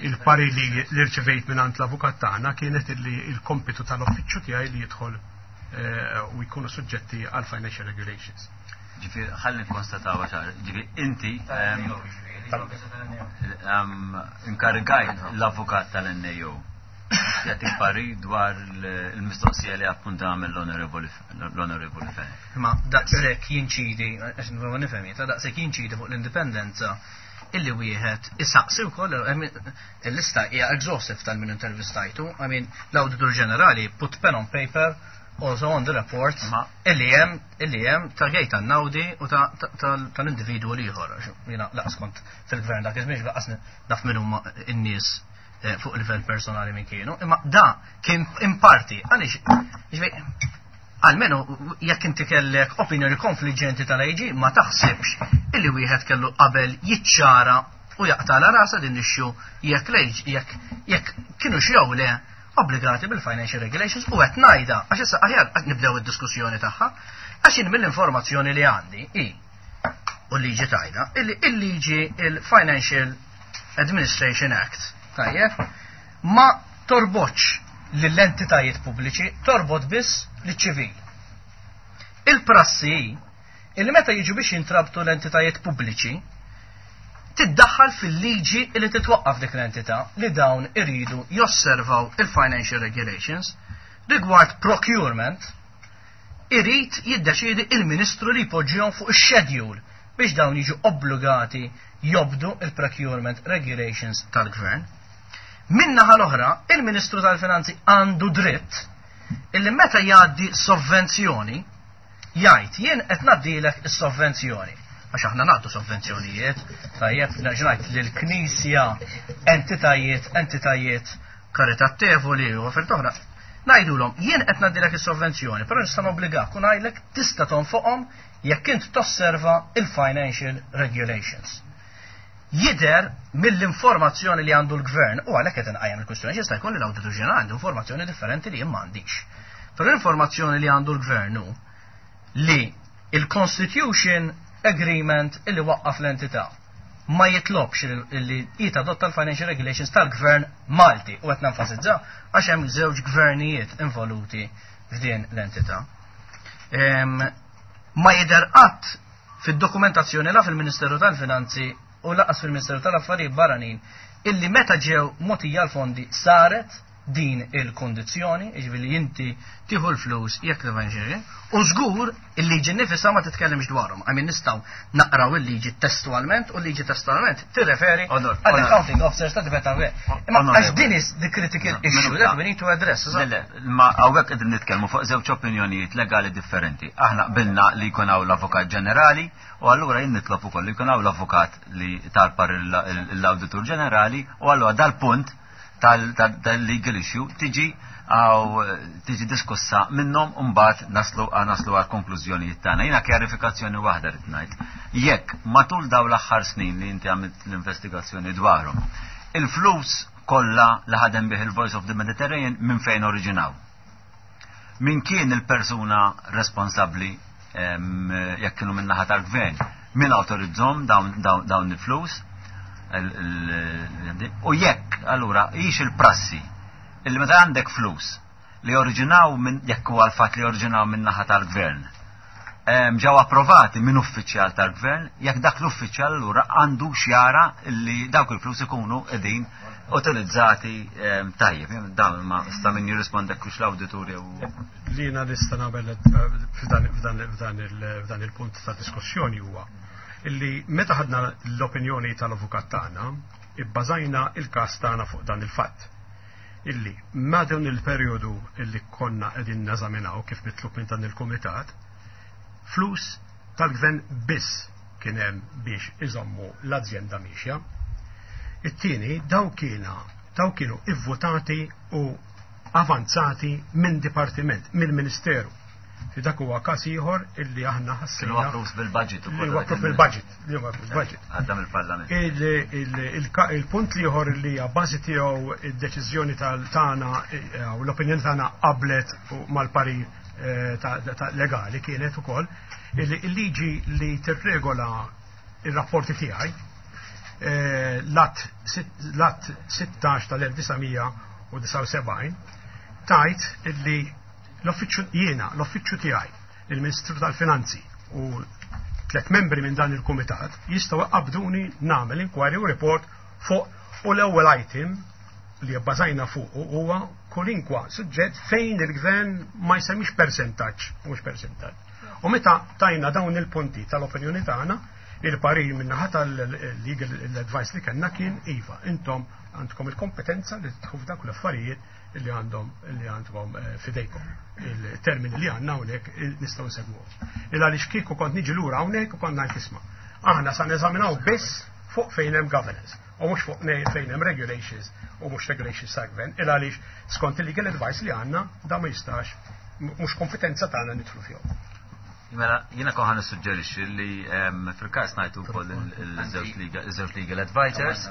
Il-parir li rċevejt minn għand l-avukat tagħna kienet li l-kompitu tal-uffiċċju tiegħi li jidħol u jkunu suġġetti għal financial regulations. Ġifieri ħalli nkonstataw ċar, ġifieri inti inkarigajt l-avukat tal-NAO jagħtik parir dwar il-mistoqsija li appunta għamel l-Onorevoli Fenech. Ma daqshekk jinċidi, għax nipprova nifhem jien, daqshekk jinċidi fuq l-indipendenza illi wieħed isaqsi wkoll, il-lista hija exhaustive tal-min intervistajtu, I mean, l-Awditur Ġenerali put pen on paper also on the report illi hemm illi hemm ta' Gaetan Naudi u tal-individwu l-ieħor. Jiena laqas kont fil-gvern dak iż-żmien laqas naf min huma n-nies eh, fuq livell personali minn kienu, imma da kien in parti għaliex għalmenu jekk inti kellek opinjoni konfliġġenti tal-AG ma taħsibx illi wieħed kellu qabel jiċċara u jaqtala rasa din l-issue jekk l-AG jekk jekk kienu xew le obbligati bil-financial regulations u qed ngħidha għax issa aħjar qed nibdew id-diskussjoni tagħha għax jien mill-informazzjoni li għandi i u l-liġi tajda illi il-liġi il-Financial Administration Act tajjeb ma torbotx lill-entitajiet pubbliċi torbot biss liċ-ċivil. Il-prassi illi meta jiġu biex jintrabtu l-entitajiet pubbliċi tiddaħħal fil-liġi li titwaqqaf dik l-entità li dawn iridu josservaw il-financial regulations rigward procurement irid jiddeċiedi il-Ministru li jpoġġihom fuq ix-schedule biex dawn jiġu obbligati jobdu il-procurement regulations tal-gvern. Min-naħa l-oħra, il-Ministru tal-Finanzi għandu dritt illi meta jgħaddi sovvenzjoni jgħid jien qed ngħaddilek is-sovvenzjoni. Għax aħna nagħtu sovvenzjonijiet, tajjeb nerġa' ngħid lill-Knisja, entitajiet, entitajiet karitatevoli u affarijiet oħra. Ngħidulhom jien qed ngħaddilek is-sovvenzjoni, però nista' nobbligak u ngħidlek tista' tonfoqhom jekk int tosserva il-financial regulations. Jidher mill-informazzjoni li għandu l-gvern u għalhekk qed inqajjem il-kwistjoni jista' jkun li l-Awditur Ġenerali għandu informazzjoni differenti li jien m'għandix. Però l-informazzjoni li għandu l-gvern hu li il-Constitution Agreement illi waqqaf l-entità ma jitlobx li jitadotta l-financial regulations tal-gvern Malti u qed nenfasizza għax hemm żewġ gvernijiet involuti f'din l-entità. Ma jidher qatt fid-dokumentazzjoni la fil-Ministeru tal-Finanzi u lanqas fil-Ministeru tal-Affarijiet Barranin illi meta ġew mogħtija l-fondi saret din il-kondizzjoni, jiġifieri inti tieħu l-flus jekk l u żgur il-liġi nifisha ma titkellimx dwarhom. I mean nistgħu naqraw il-liġi testualment u l-liġi testualment tirreferi Onor, għall onor. accounting officers ta' difetta Imma għax din is the critical issue that we need to address. Le, le, ma hawnhekk qegħdin nitkellmu fuq żewġ opinjonijiet legali differenti. Aħna qbilna li jkun hawn l-Avukat Ġenerali u allura jien nitlob ukoll li jkun hawn l-avukat li talpar l-Awditur Ġenerali u allura dal-punt tal-legal issue tiġi għaw tiġi diskussa minnhom u mbagħad naslu naslu għal konklużjonijiet tagħna. Jiena kjarifikazzjoni waħda rid ngħid. Jekk matul dawn l-aħħar snin li inti għamilt l-investigazzjoni dwarhom, il-flus kollha li ħadem bih il-Voice of the Mediterranean minn fejn oriġinaw? Min kien il-persuna responsabbli jekk kienu minn naħa tal-gvern? Min awtorizzahom dawn il-flus? U jekk, allura, hix il-prassi illi meta għandek flus li oriġinaw minn jekk huwa l-fatt li oriġinaw minn naħa tal-gvern, ġew approvati minn uffiċjal tal-gvern, jekk dak l-uffiċjal allura għandu xjara li dawk il-flus ikunu qegħdin utilizzati tajjeb. Dan ma sta min jirrispondek kux l-awditur jew. Li jiena nista' nagħmel f'dan il-punt ta' diskussjoni huwa illi meta ħadna l-opinjoni tal-avukat tagħna, ibbażajna il-każ tagħna fuq dan il-fatt. Illi ma dawn il-perjodu illi konna qegħdin neżaminaw kif mitlub minn dan il-kumitat, flus tal-gvern biss kien hemm biex iżommu l-azjenda miexja. It-tieni daw kiena daw kienu ivvutati u avanzati minn dipartiment, mill-Ministeru. Fi dak huwa każ ieħor illi aħna Kienu ħassejna approved bil-budget li huwa approved bil-budget, li huwa approved bil-budget. Għadda mill-Parlament. Il-punt li ieħor li hija bażi tiegħu id-deċiżjoni tal-tagħna u l-opinjoni tagħna qablet mal-parir ta' legali kienet ukoll illi il-liġi li tirregola ir-rapporti tiegħi l-att 16 tal-1979 tajt illi l-uffiċċju jiena, l-uffiċċju tiegħi, il-Ministru tal-Finanzi u tlet membri minn dan il-kumitat jistgħu qabduni nagħmel inquiry u report fuq u l-ewwel item li bbażajna fuq huwa kwalinkwa suġġett fejn il-gvern ma jsemmix percentaġġ, mhux percentaġġ. U meta tajna dawn il-punti tal-opinjoni tagħna, Il-parir min-naħa tal-legal advice li kellna kien iva, intom għandkom il-kompetenza li tidħlu f'dawk l-affarijiet li għandhom li għandkom eh, fidejkom. Il-termini li għandna hawnhekk eh, nistgħu nsegwuhom. Il għaliex kieku kont niġi lura hawnhekk u kont ngħid isma'. Aħna sa neżaminaw biss fuq fejn hemm governance u mhux fuq fejn hemm regulations u mhux regulations ta' gvern, il għaliex skont il-legal advice li għandna da ma jistax mhux kompetenza tagħna nidħlu fihom. Mela, jiena kon ħan nissuġġerixxi li fil-każ ngħidu wkoll il-żewġ legal advisors,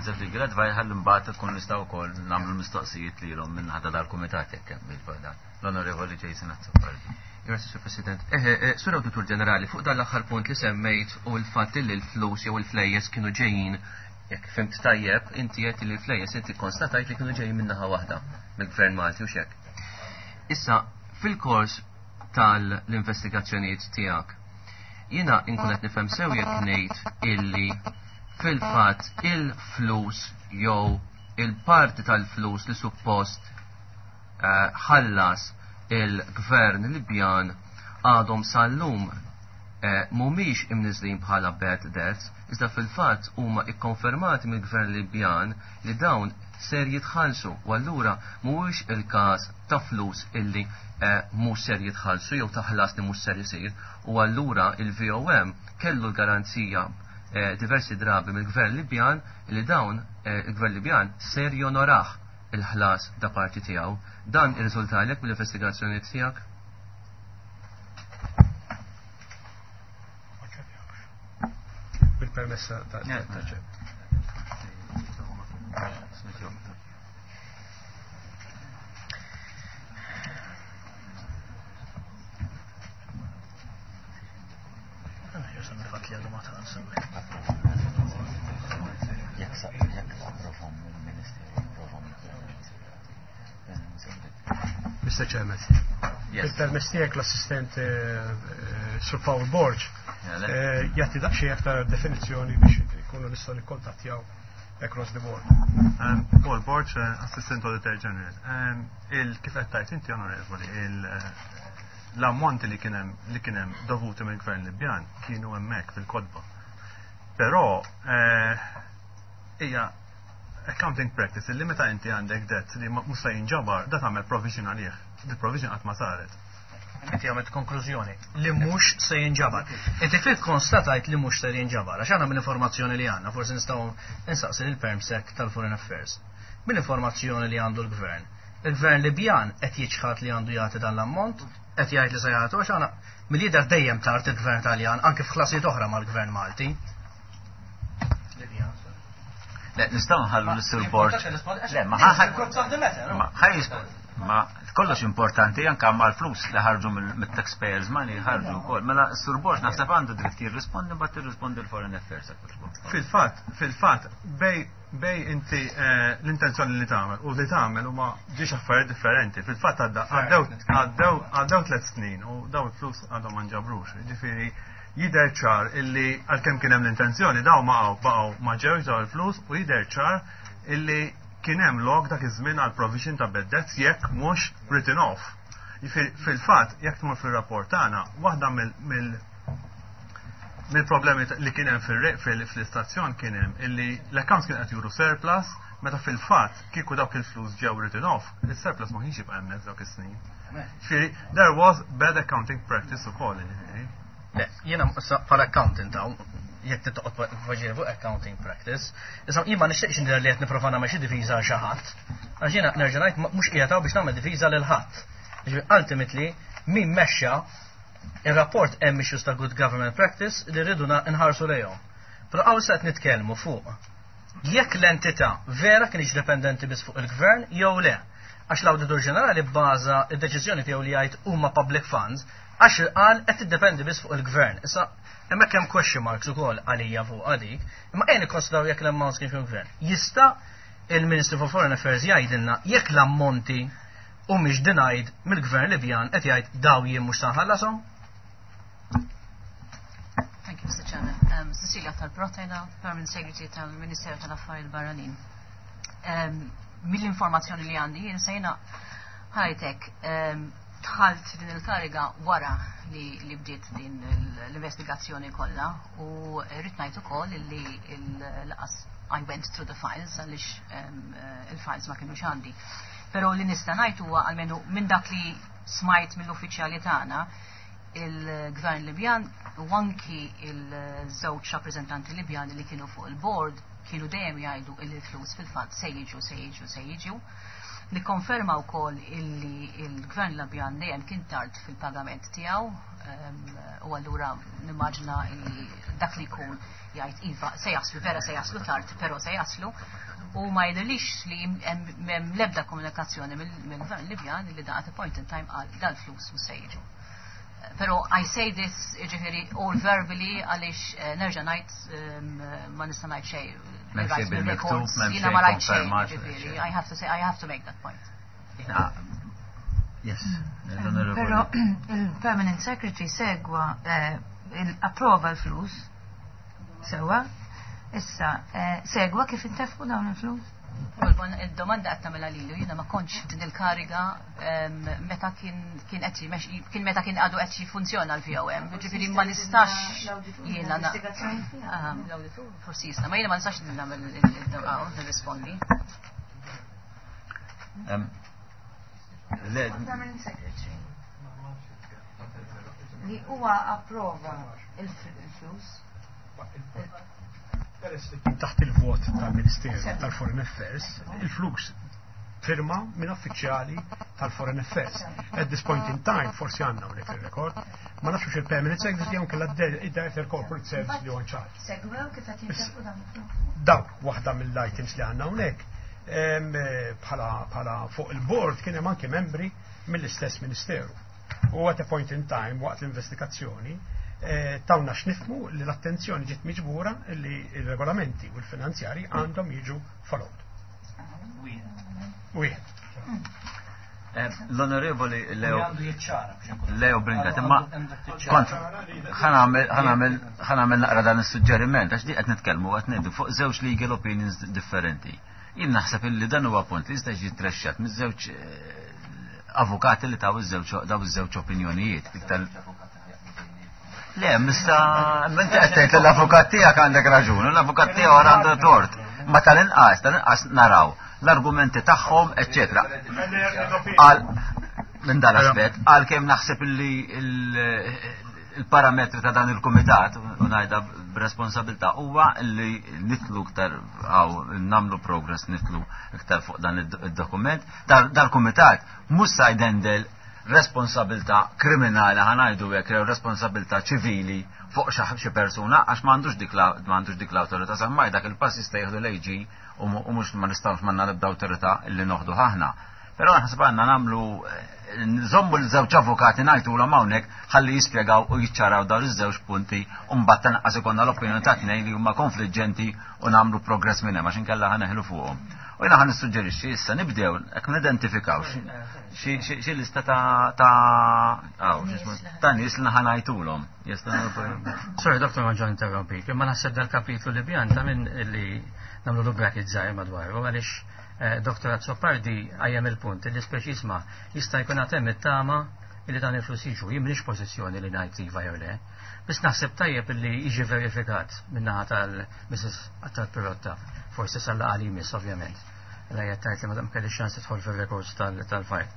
żewġ legal advisors ħalli mbagħad tkun nistgħu wkoll nagħmlu l-mistoqsijiet lilhom minn ħadha dal-kumitat jekk hemm il-dan. L-Onorevoli Jason Azzopardi. Grazie, Sur President. Eh, eh, Sur Awditur Ġenerali, fuq dan l-aħħar punt li semmejt u l-fatt li l-flus jew il-flejjes kienu ġejjin jekk fimt tajjeb, inti qed li l-flejjes inti konstatajt li kienu ġejjin minnaħa waħda mill-Gvern Malti u xek. Issa, fil-kors tal-investigazzjonijiet tiegħek. Jiena inkun qed nifhem sew jekk ngħid illi fil-fatt il-flus jew il-parti tal-flus li suppost eh, ħallas il-gvern Libjan għadhom sal-lum eh, mhumiex imniżlin bħala bad debts, iżda fil-fatt huma ikkonfermati mill-gvern Libjan li dawn ser jitħallsu u allura mhuwiex il-każ ta' flus illi eh, mhux ser jitħallsu jew ta' ħlas li mhux ser isir u allura il-VOM kellu l-garanzija eh, diversi drabi mill-Gvern Libjan li dawn eh, il-Gvern Libjan ser jonorah il-ħlas da parti tiegħu. Dan irriżultalek mill-investigazzjoni tiegħek? Bil-permessa ta' Mr. Chairman. Il-permess tiegħek l-assistent eh, eh, Sir Paul Borg eh, jagħti daqsxejn aktar definizzjoni biex ikunu nistgħu nikkontattjaw across the board. Um, Paul Borg, eh, Assistant Auditor General. Um, il kif qed tajt inti onorevoli, eh, l-ammonti li kien hemm li kien hemm dovuti mill-Gvern Libjan kienu hemmhekk fil-kodba. Però eh, hija accounting practice li meta inti għandek debt li mhux se jinġabar, da tagħmel provision għalih. Di provision qatt ma saret. Inti għamilt konklużjoni li mhux se jinġabar. Inti fil konstatajt li mhux se jinġabar, għax għandna mill-informazzjoni li għandna, forsi nistgħu insaqsi lil permsec tal-Foreign Affairs. Mill-informazzjoni li għandu l-gvern. Il-gvern Libjan qed jiċħad li għandu jagħti dan l-ammont, qed jgħid li se jagħtu għax għandna mill-jidher dejjem tard il-gvern Taljan anke f'ħlasijiet oħra mal-gvern Malti. Le, nistgħu nħallu l-Sur Borg. Le, ma ħaj Ma kollox importanti anka mal-flus li ħarġu mit-taxpayers money ħarġu wkoll. Mela Sur Borg naħseb għandu dritt jirrispondi mbagħad tirrispondi l-Foreign Affairs. Fil-fatt, fil-fatt, bej bej inti eh, l-intenzjoni li tagħmel u li tagħmel huma ġiex affarijiet differenti. Fil-fatt għaddew għaddew tliet snin u daw il-flus għadhom ma nġabrux. Ġifieri jidher ċar illi għalkemm kien hemm l-intenzjoni daw ma baqgħu ma ġewx daw il-flus u jidher ċar illi kien hemm lok dak iż-żmien għal provision ta' bad debts jekk mhux written off. Fil-fatt, jekk tmur fir-rapport tagħna, waħda mill mill-problemi li kien hemm fil-istazzjon kien hemm illi l-accounts kien qed juru surplus meta fil-fatt kieku dawk il-flus ġew written off, il-surplus ma kienx jibqa' hemmhekk dawk is-snin. Ġifieri, there was bad accounting practice ukoll, ġifieri. Le, jiena bħala accountant hawn, jekk tittoqgħod tpoġġi fuq accounting practice, issa jien ma nixtieqx nidher li qed nipprova nagħmel xi difiża għal xi ħadd. Għax jiena nerġa' ngħid mhux qiegħed hawn biex nagħmel difiża lil ħadd. Ġifieri ultimately min mexxa ir-rapport hemm issues ta' good government practice li rridu nħarsu lejhom. Però hawn se qed nitkellmu fuq jekk l-entità vera kienx dependenti biss fuq il-gvern jew le. Għax l-Awditur Ġenerali bbaża d-deċiżjoni tiegħu li jgħid huma public funds għax qal qed tiddependi biss fuq il-gvern. Issa hemmhekk hemm question marks ukoll għalija fuq dik, imma ejja nikkonsidraw jekk l-amounts kienx mill-gvern. Jista' il-Ministry for Foreign Affairs jgħidilna jekk l-ammonti humiex denied mill-gvern Libjan qed jgħid daw jien mhux se nħallasom? Thank you, Mr. Chairman. Um, Cecilia tal-Protena, Permanent Secretary tal-Ministeru tal-Affarijiet Barranin. Um, Mill-informazzjoni li għandi, jien sejna ħajtek um, Dħalt din il-kariga wara li bdiet din l-investigazzjoni kollha u rrid ngħid ukoll li l-qas I went through the files għaliex il-files ma kinux għandi. Però li nista' ngħid huwa, almenu minn dak li smajt mill-uffiċjali tagħna, il-Gvern Libjan u anki il-żewġ rappreżentanti Libjani li kienu fuq il-board kienu dejjem jgħidu li l-flus fil-fatt se jiġu, se jiġu, se jiġu. Nikkonferma wkoll illi il-Gvern Libjan dejjem kien tard fil-pagament tiegħu u allura nimmaġina illi dak li jkun jgħid iva se jaslu, vera se jaslu tard, però se jaslu, u ma jidhirlix li hemm l-ebda komunikazzjoni mill-Gvern Libjan li da at a point in time qal dal-flus mhux se jiġu. Pero I say this, ġifieri, all verbally, għaliex nerġa' ngħid, ma nista' ngħid xejn. M'hemm xejn bil-miktub, m'hemm Jiena xejn ma rajt xejn, konfermat. Ġifieri, I have to say, I have to make that point. Yes, l-Onorevoli. Però il-Permanent Secretary segwa, approva l-flus, sewa, issa segwa kif intefqu dawn il-flus? Il-domanda qed tagħmilha lilu, jiena ma kontx din il-kariga meta kien qed kien meta kien għadu qed jiffunzjona l-VOM. Ġifieri ma nistax jiena l-awditur forsi jista', ma jiena ma nistax nagħmel nirrispondi. Le, Permanent Secretary. Li huwa approva il-flus. Peress li kien taħt il-vot tal-Ministeru tal-Foreign Affairs, il-flus firma minn uffiċjali tal-Foreign Affairs. At this point in time, forsi għandna hawnhekk il-rekord, ma nafx il-Permanent Secretary jew kellha il-Director Corporate Service li huwa in charge. Segwew kif qed jintefqu dawn il-flus. Dawk waħda mill-items li għandna hawnhekk bħala fuq il-board kien hemm anke membri mill-istess ministeru. U at a point in time, waqt l-investigazzjoni, tawna x'nifhmu li l-attenzjoni ġiet miġbura li il-regolamenti u l-finanzjari għandhom jiġu followed. Wieħed. L-Onorevoli Leo Għandu jiċċara biex inkun- Leo Brincat, imma Għandek tiċċara. kont ħa nagħmel naqra dan is-suġġeriment għax di qed nitkellmu, qed ngħidu fuq żewġ legal opinions differenti. Jien naħseb illi dan huwa punt li jista' jiġi trexxat miż-żewġ avukati li taw iż-żewġ daw iż-żewġ opinjonijiet. Dik Le, mista, inti qed tgħid li l-avukat tiegħek għandek raġun, u l-avukat tiegħu għandu tort. Ma tal-inqas naraw l-argumenti tagħhom, eċċetera. Għal minn dan aspett, għal kemm naħseb illi il-parametri ta' dan il-kumitat, u ngħidha b'responsabilità, huwa li nitlu iktar għaw nagħmlu progress, nitlu iktar fuq dan id-dokument. Dal-kumitat mhux sa jdendel responsabilità kriminali, ħa ngħidu hekk, jew responsabilità ċivili fuq xi persuna, għax m'għandux dik l-awtorità, semmai dak il-pass jista' jieħdu l-AG u mhux ma nistgħux, m'għandna l-ebda awtorità li noħdu aħna. Però naħseb għandna nagħmlu nżommu l-żewġ avukati, ngħidulhom hawnhekk ħalli jispjegaw u jiċċaraw dawn iż-żewġ punti, u mbagħad tanqas ikollna l-opinjoni ta' tnejn li huma konfliġġenti u nagħmlu progress minn hemm, għax inkella ħa neħlu fuqhom. U jiena ħa nissuġġerixxi issa nibdew hekk nidentifikaw xi lista ta' aw, x'ismu, ta' nies li ħa ngħidulhom. Yes, Sorry, Dr. Manġan, interrompik, imma naħseb dal-kapitlu Libjan ta' minn li nagħmlu lu bracket żgħir madwaru, għaliex Dr. Azzopardi qajjem il-punt li speċisma jista' jkun għad hemm it-tama li dan il-flus jiġu. Jien m'iniex pożizzjoni li ngħid iva jew le. Biss naħseb tajjeb li jiġi verifikat min-naħa tal-Mrs. Attard Pirotta, forsi sal-laqgħa li jmiss, ovvjament. La jgħid li ma kelli ċans tidħol fir-records tal-fajt.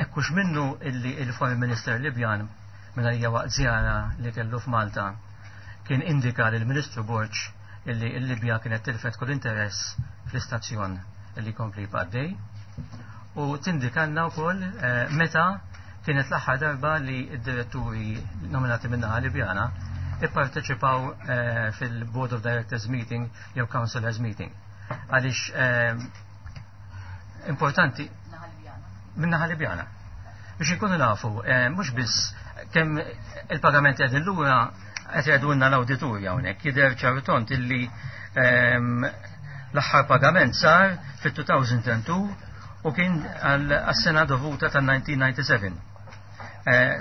Ekkux minnu illi il-Foreign Minister Libjan minn hija waqt żjara li kellu f'Malta kien indika lill Ministru Borg illi l-Libja kienet tilfet kull interess fl-istazzjon li kompli jibqa'. U tindikanna wkoll meta kienet l-aħħar darba li d-diretturi nominati min-naħa Libjana ipparteċipaw fil-Board of Directors meeting jew Councillors meeting. Għaliex importanti min-naħa Libjana. Biex ikunu nafu, mhux biss kemm il-pagamenti qegħdin lura, qed jgħidulna l-awditurja hawnhekk, jidher ċartont illi l-aħħar pagament sar fit-2002 u kien għas-sena dovuta tan-1997.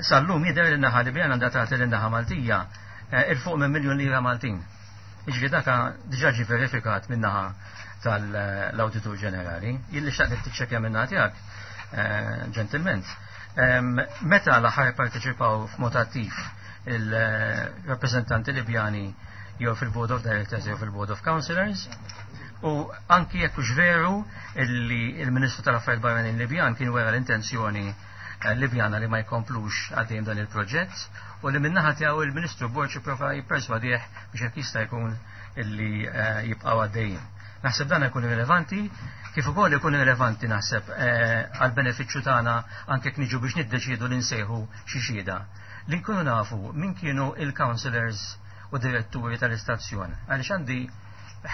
Sal-lum jidher li naħa Libjana għandha tagħti lin-naħa Maltija il fuq minn miljun lira Maltin. Jiġifieri daka diġà ġie verifikat min-naħa tal-Awditur Ġenerali. Jilli xtaqt tiċċekkja minn tiegħek, ġentilment. Meta l-aħħar parteċipaw f'mod attiv il-rappreżentanti Libjani jew fil-Board of Directors jew fil-Board of Councillors u anki jekk hux veru illi il-Ministru tal-Affarijiet Barranin Libjan kien wera l-intenzjoni Libjana li ma jkomplux għaddejjem dan il-proġett u li min-naħa tiegħu il-Ministru Borg ipprova jipperswadih biex hekk jista' jkun illi jibqgħu għaddejjin. Naħseb dan ikun rilevanti, kif ukoll ikun rilevanti naħseb għal benefiċċju tagħna anke jekk niġu biex niddeċiedu li nsejħu xi xhieda. Li nkunu nafu min kienu il-councillors u diretturi tal-istazzjon. Għaliex għandi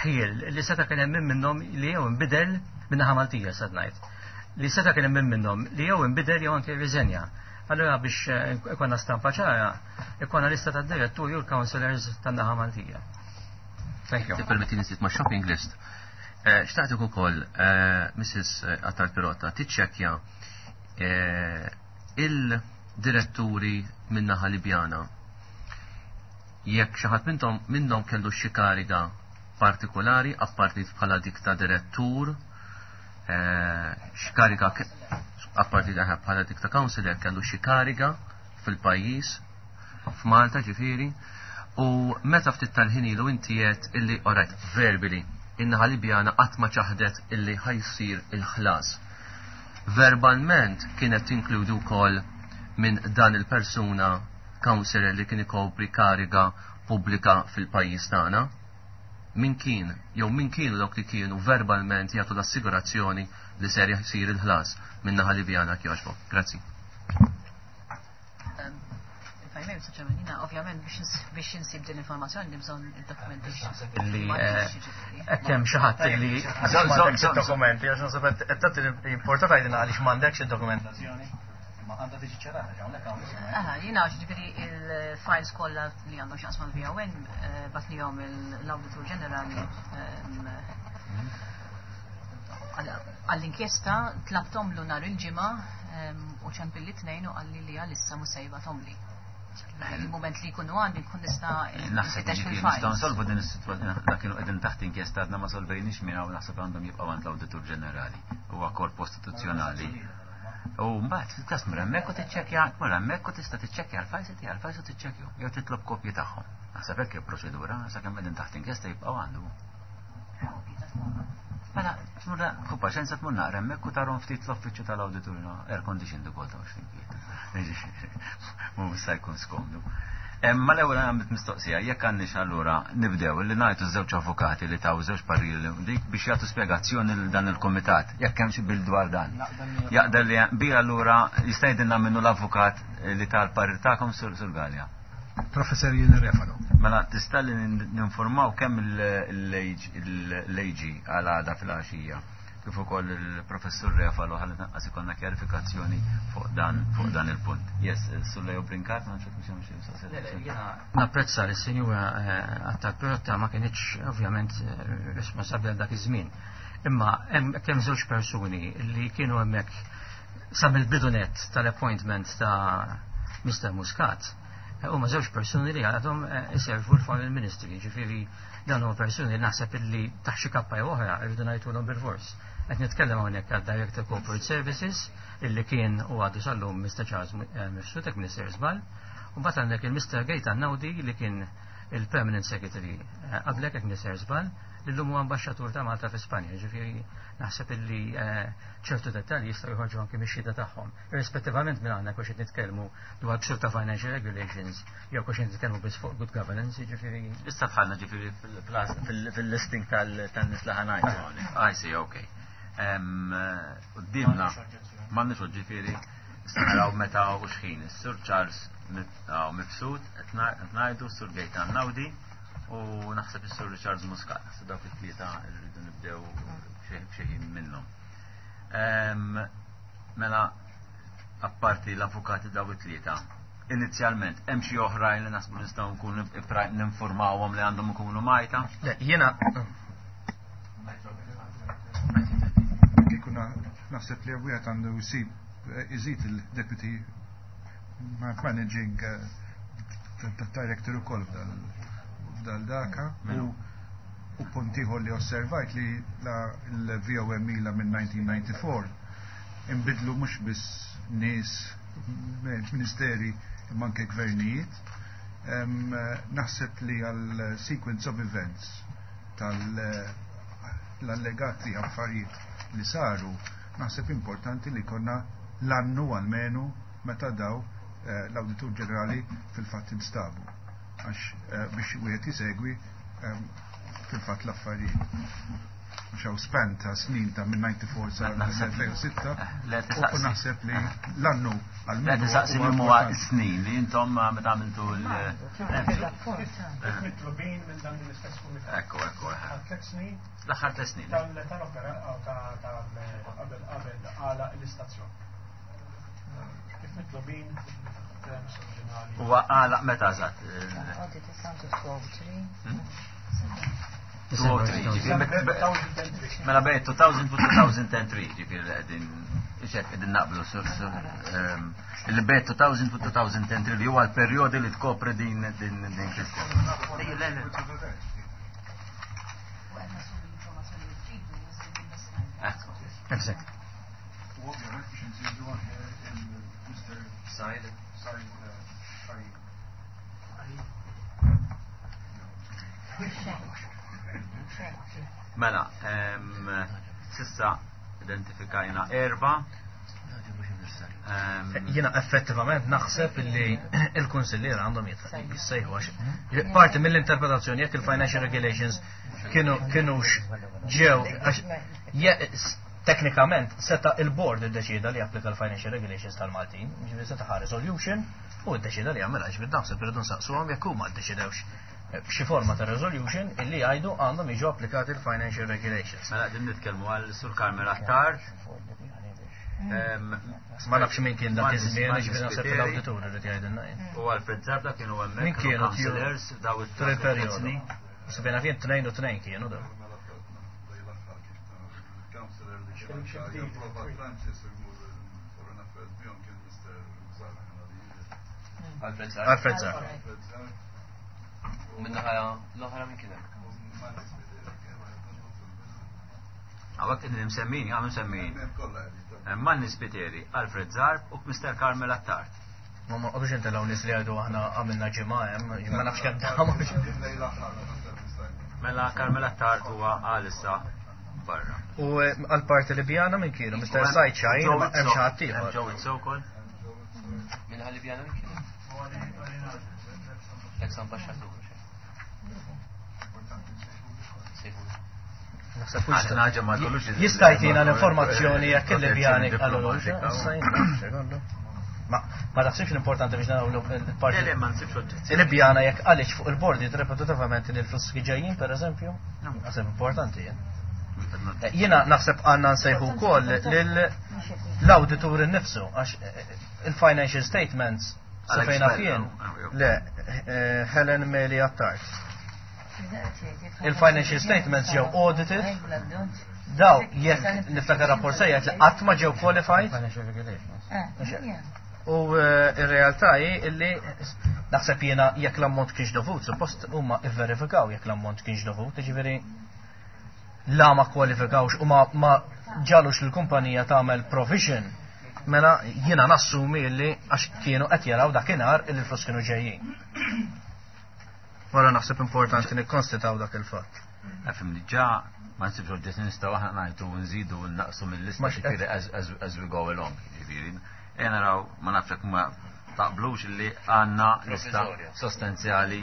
ħiel li seta' kien hemm min minnhom li jew inbidel min-naħa Maltija sad ngħid. Li seta' kien hemm min minnhom li jew inbidel jew anke rriżenja. Allura biex ikonna stampa ċara, ikonna lista tad-diretturi u l-councillors tan-naħa Maltija. Thank you. Tippermettini nżid ma' shopping list. Xtaqtek ukoll, Mrs. Attard Pirotta, tiċċekkja il-diretturi min-naħa Libjana jekk xi ħadd minnhom minnhom kellu xi kariga partikolari apparti bħala dik ta' direttur, xi kariga apparti bħala dik ta' councillor kellu xi kariga fil-pajjiż f'Malta ġifieri, u meta ftit tal-ħin ilu inti għedt illi alright, verbally, in-naħa Libjana qatt ma ċaħdet illi ħajsir il-ħlas. Verbalment kienet tinkludi wkoll minn dan il-persuna councillor li kien ikopri kariga pubblika fil-pajjiż tagħna. Min kien, jew min kienu dawk li kienu verbalment jagħtu l-assigurazzjoni li ser jsir il-ħlas minn naħa Libjana kjoġbok. Grazzi. If I may, Mr. Chairman, jina ovvjament biex insib din l-informazzjoni li bżonn id-dokumenti. Li hekk hemm xi ħadd li m'għandekx id-dokumenti, għax naħseb qed tagħti importa tgħidilna għaliex m'għandekx id-dokumentazzjoni. Ma għandha tiġi ċerata hawnhekk hawn. Aha, jiena ġifieri il-files kollha li għandhom x'jaqsmu mal-VON batnihom l-Awditur Ġenerali għall-inkjesta, tlabthomlu nhar il-ġimgħa u ċempilli tnejn u qalli li għalissa mhux se jibgħathomli. Il-moment li jkunu għandi nkun nista' Naħseb nfittex li fil-files. nistgħu nsolvu din is-sitwazzjoni, dak kienu qegħdin taħt inkjesta għadna ma solvejniex miegħu naħseb għandhom jibqgħu għand l-Awditur Ġenerali. Huwa korp kostituzzjonali. U mbagħad fil-każ mur hemmhekk u tiċċekkja, mur hemmhekk u tista' tiċċekkja l-files tiegħek, l-files u tiċċekkju, jew titlob kopji tagħhom. Naħseb hekk il-proċedura, sakemm qegħdin taħt inkjesta jibqgħu għandu. Mela, tmur fu paċenza tmur naqra hemmhekk u tarhom ftit l-uffiċċju tal-awditur, no, air conditioned ukoll ta' x'tinkiet. Mhu se jkun skomdu. Ma l-ewwel għamilt mistoqsija, jekk għandniex allura nibdew li ngħidu żewġ avukati li taw żewġ pariri li dik biex jagħtu spjegazzjoni lil dan il-kumitat, jekk hemm xi bil dwar dan. Jaqdel li bi allura jista' jgħidilna minnu l-avukat li tal-parir tagħkom sur Galea. Professor Ian Refalo. Mela tista' li ninformaw kemm l-AG għal għada fil-għaxija kif ukoll il-professur Refalo ħalli tanqas ikollna kjarifikazzjoni fuq dan fuq dan il-punt. Yes, Sur Leo Brincat, ma nafx mhux hemm xi mistoqsija. Napprezza li s-sinjura Attard Pirotta ma kinitx ovvjament responsabbli għal dak iż-żmien. Imma hemm kemm żewġ persuni li kienu hemmhekk sa mill-bidunet tal-appointment ta' Mr. Muscat. Huma żewġ persuni li għadhom iservu l-Foreign Ministry, ġifieri dan huma persuni li naħseb illi taħt xi kappa jew oħra rridu ngħidulhom bil-fors. Qed nitkellem hawnhekk għad Director Corporate Services illi kien u għadu sal-lum Mr. Charles Mifsud, hekk Minister Żball, u mbagħad għandek il-Mr. Gaetan Naudi li kien il-Permanent Secretary qablek hekk Minister Żball, li llum huwa ambaxxatur ta' Malta fi Spanja, ġifieri naħseb illi ċertu dettalji jistgħu joħorġu anke mix-xhieda tagħhom. Irrispettivament minn aħna kux qed nitkellmu dwar ksur ta' financial regulations jew kux qed nitkellmu biss fuq good governance, jiġifieri. Issa dħalna ġifieri fil-listing tan-nies li ħanajtu hawnhekk. I see, okay. Qudiemna m'għandniex ġifieri naraw meta u x'ħin. Is-Sur Charles Mifsud qed ngħidu, Sur Gaetan Naudi u naħseb is-Sur Richard Muscat. Naħseb dawk it-tlieta rridu nibdew xi ħin minnhom. Mela apparti l-avukati daw it-tlieta, inizjalment hemm xi oħrajn li naħsbu nistgħu nkunu ninformawhom li għandhom ikunu majta? Le, jiena Kieku naħseb li wieħed għandu jsib iżid il-Deputy Managing Director ukoll f'dal daka. U punt ieħor li osservajt li l-VOM ila minn 1994 inbidlu mhux biss nies ministeri imma anke gvernijiet. Naħseb li għal sequence of events tal-allegati affarijiet li saru, naħseb importanti li konna l-annu għalmenu meta daw l-Awditur Ġenerali fil-fatt instabu. Għax biex wieħed jisegwi fil-fatt l-affarijiet. Għax hawn span ta' snin ta' minn 94 sa' 2006 u naħseb li l-annu għalmenu. Le tisaqsi li huwa snin li intom meta għamiltu l- Mitlubin minn dan l-istess kumitat. Ekku, ekku. Għal 3 snin. L-aħħar 3 snin. Tal-opera tal-qabel qabel għala l-istazzjon. Kif mitlubin terms oriġinali. Huwa għala meta eżatt? Audit is 2003. Mela bejn 2000 u 2003, ġifieri qegħdin xek qegħdin naqblu sur li bejn 2000 u 2003 li huwa l-perjodi li tkopri din din din kwistjoni. Exact. U ovvjament biex nżidu anke il-Mr. Said. Said Said. Mela, sissa identifikajna erba. Jiena effettivament naħseb li il-kunsilliera għandhom jissejħu għax parti mill-interpretazzjoni jekk il-financial regulations kienux ġew għax teknikament seta il-board iddeċida li japplika l-financial regulations tal-Maltin, ġifieri seta ħa resolution u ddeċida li jagħmilha, ġifieri naħseb irridu nsaqsuhom jekk huma ddeċidewx b'xi forma ta' resolution illi jgħidu għandhom jiġu applikati l-financial regulations. Mela qegħdin nitkellmu għal Sur Carmel Attard. Ma nafx min kien dak iż-żmien, ġifieri naħseb l-awditur irid jgħidilna jien. U Alfred Zarda kienu hemmhekk, Min kienu councillors daw tul il-perjodu? it-snin. Sibena kien 2 u 2 kienu daw. Alfred Zarb. Alfred Zarb. U minnaħa l-oħra minn kien hemm? Hawnhekk qegħdin imsemmin, għam imsemmin. Manni Spiteri, Alfred Zarb u Mr. Carmel Attard. Ma ma qogħdux intelgħu nies li jgħidu aħna għamilna ġimgħa hemm, ma nafx kemm damu. Mela Carmel Attard huwa għalissa barra. U għal-parti Libjana minn kienu, Mr. Said Xajn, ma hemm xi ħadd ieħor. Hemm Joe Izzo wkoll. Minn ħal Libjana minn kienu? Ex ambasċatur. Naħseb Għax naġa ma jkollux il- Jista' jtina l-informazzjoni jekk il-Libjani protezzjoni qalulu. diplomatika. Issa jien nafx, kollu. Ma taħsibx l-importanti biex naraw il-parti. Le, le, ma nsibx oġġezzjoni. Il-Libjana jekk għaliex fuq il-bordi ripetutivament li l-flus ġejjin, per eżempju? Naħseb importanti jien. Jiena naħseb għandna nsejħu wkoll l-awditur innifsu għax il-financial statements sa Alex fejna Bell, fien. oh, oh. Le, Helen Meli Attard. Il-financial statements ġew audited. Daw, jekk niftakar rapport sejjaħ li qatt ma ġew qualified. U ir-realtà hi illi naħseb jiena jekk l-ammont kienx dovut, suppost huma ivverifikaw jekk l-ammont kienx dovut, jiġifieri la ma kwalifikawx u ma ġalux l-kumpanija tagħmel provision, mela jiena nassumi illi għax kienu qed jaraw dakinhar illi l-flus kienu ġejjin. Wara naħseb importanti nikkonstataw dak il-fatt. Nafhem li ġa ma nsibx oġġezzjoni nistgħu aħna ngħidu nżidu u naqsu mill-lista Ma ġifieri as we go along, ġifieri. Ejja naraw ma nafx jekk ma taqblux illi għandna lista Provvisorja. sostanzjali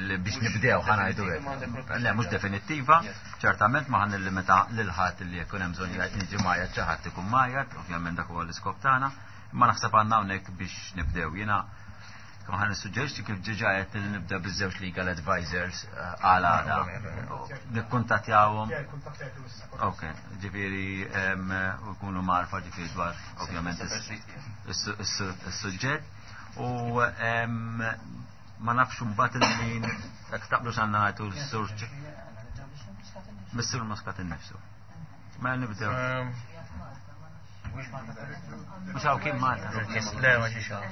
li biex nibdew ħa ngħidu hekk. Definittiva, m'għandek Le, mhux definittiva, ċertament ma ħan nillimita lil ħadd li jkun hemm bżonn jiġi majjad xi ħadd ikun majjad, ovvjament dak huwa l-iskop tagħna, imma naħseb għandna hawnhekk biex nibdew. Jiena kemm ħan nissuġġerixxi kif ġiġa qed li nibda biż-żewġ legal advisors għal għada. Nikkuntattjawhom. Ok, ġifieri, u jkunu marfa ġifieri dwar ovvjament is-suġġett. U ma nafx imbagħad il-min jekk taqblu x'għandna ngħidu l-sur Missur Muscat innifsu. Mela nibdew. Mhux hawn kien Malta. Le, ma ġiex hawn.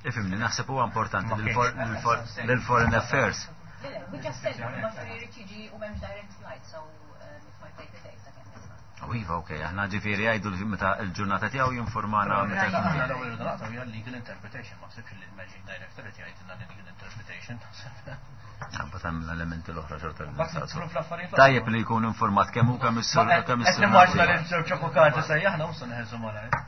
Ifimni, naħseb huwa importanti Ma kienx. lil-Foreign Affairs. Le, we just said ma jrid jiġi u m'hemmx direct flight, so it might take a day sakemm jasal. tiegħu. Iva, okej, aħna ġifieri jgħidu li meta l-ġurnata tiegħu jinformana meta jkun Aħna l-ewwel irridu naqtaw hija legal interpretation, ma ħsibx li l-managing director qed jgħidilna legal interpretation. Mbagħad hemm l-elementi l-oħra xorta. Tajjeb li jkun informat kemm hu kemm is-sur kemm is-sur. Qed nimmaġna li żewġ avukati sejjaħna u se neħelsu malajr.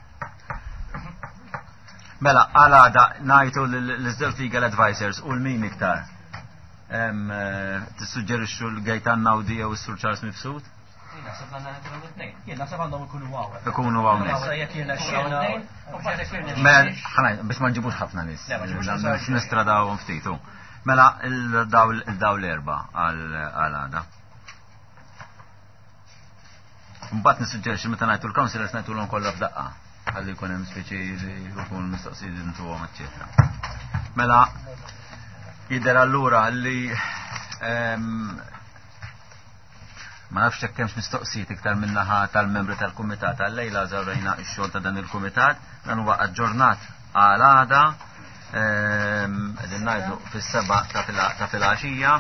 Mela, għal għada ngħidu l-żewġ legal advisors u l-min iktar. Eh, tissuġġerixxu l-Gejtan Nawdi jew is-Sur Charles Mifsud? Jien naħseb għandna nagħtilhom it-tnejn. Jien naħseb għandhom ikunu hawn. Ikunu hawnhekk. Issa jekk jiena xena. Mela, ħanaj, biex ma nġibux ħafna nies. Nistradawhom ftitu. Mela, il-daw l-erba għal għada. Mbagħad nissuġġerixxi meta ngħidu l-councillors ngħidulhom kollha f'daqqa. Ħalli jkun hemm speċi li jkun mistoqsijiet intuhom, eċċetera. Mela, jidher allura li ehm, ma nafx hekk hemmx mistoqsijiet iktar min-naħa tal-membri tal-kumitat għal-lejla żawrejna x-xogħol ta' dan il-kumitat, dan huwa aġġornat għal għada ehm, qegħdin ngħidu fis-seba' ta' filgħaxija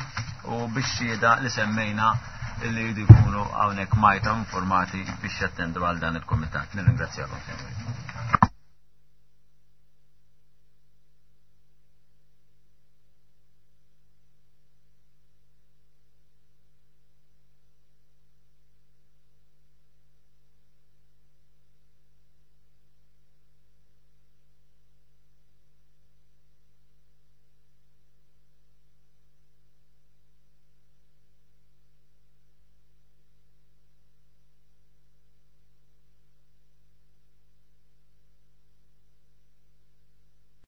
u biex xhieda li semmejna li jridu jkunu hawnhekk majta informati biex jattendu għal dan il-kumitat. Nirringrazzjakom.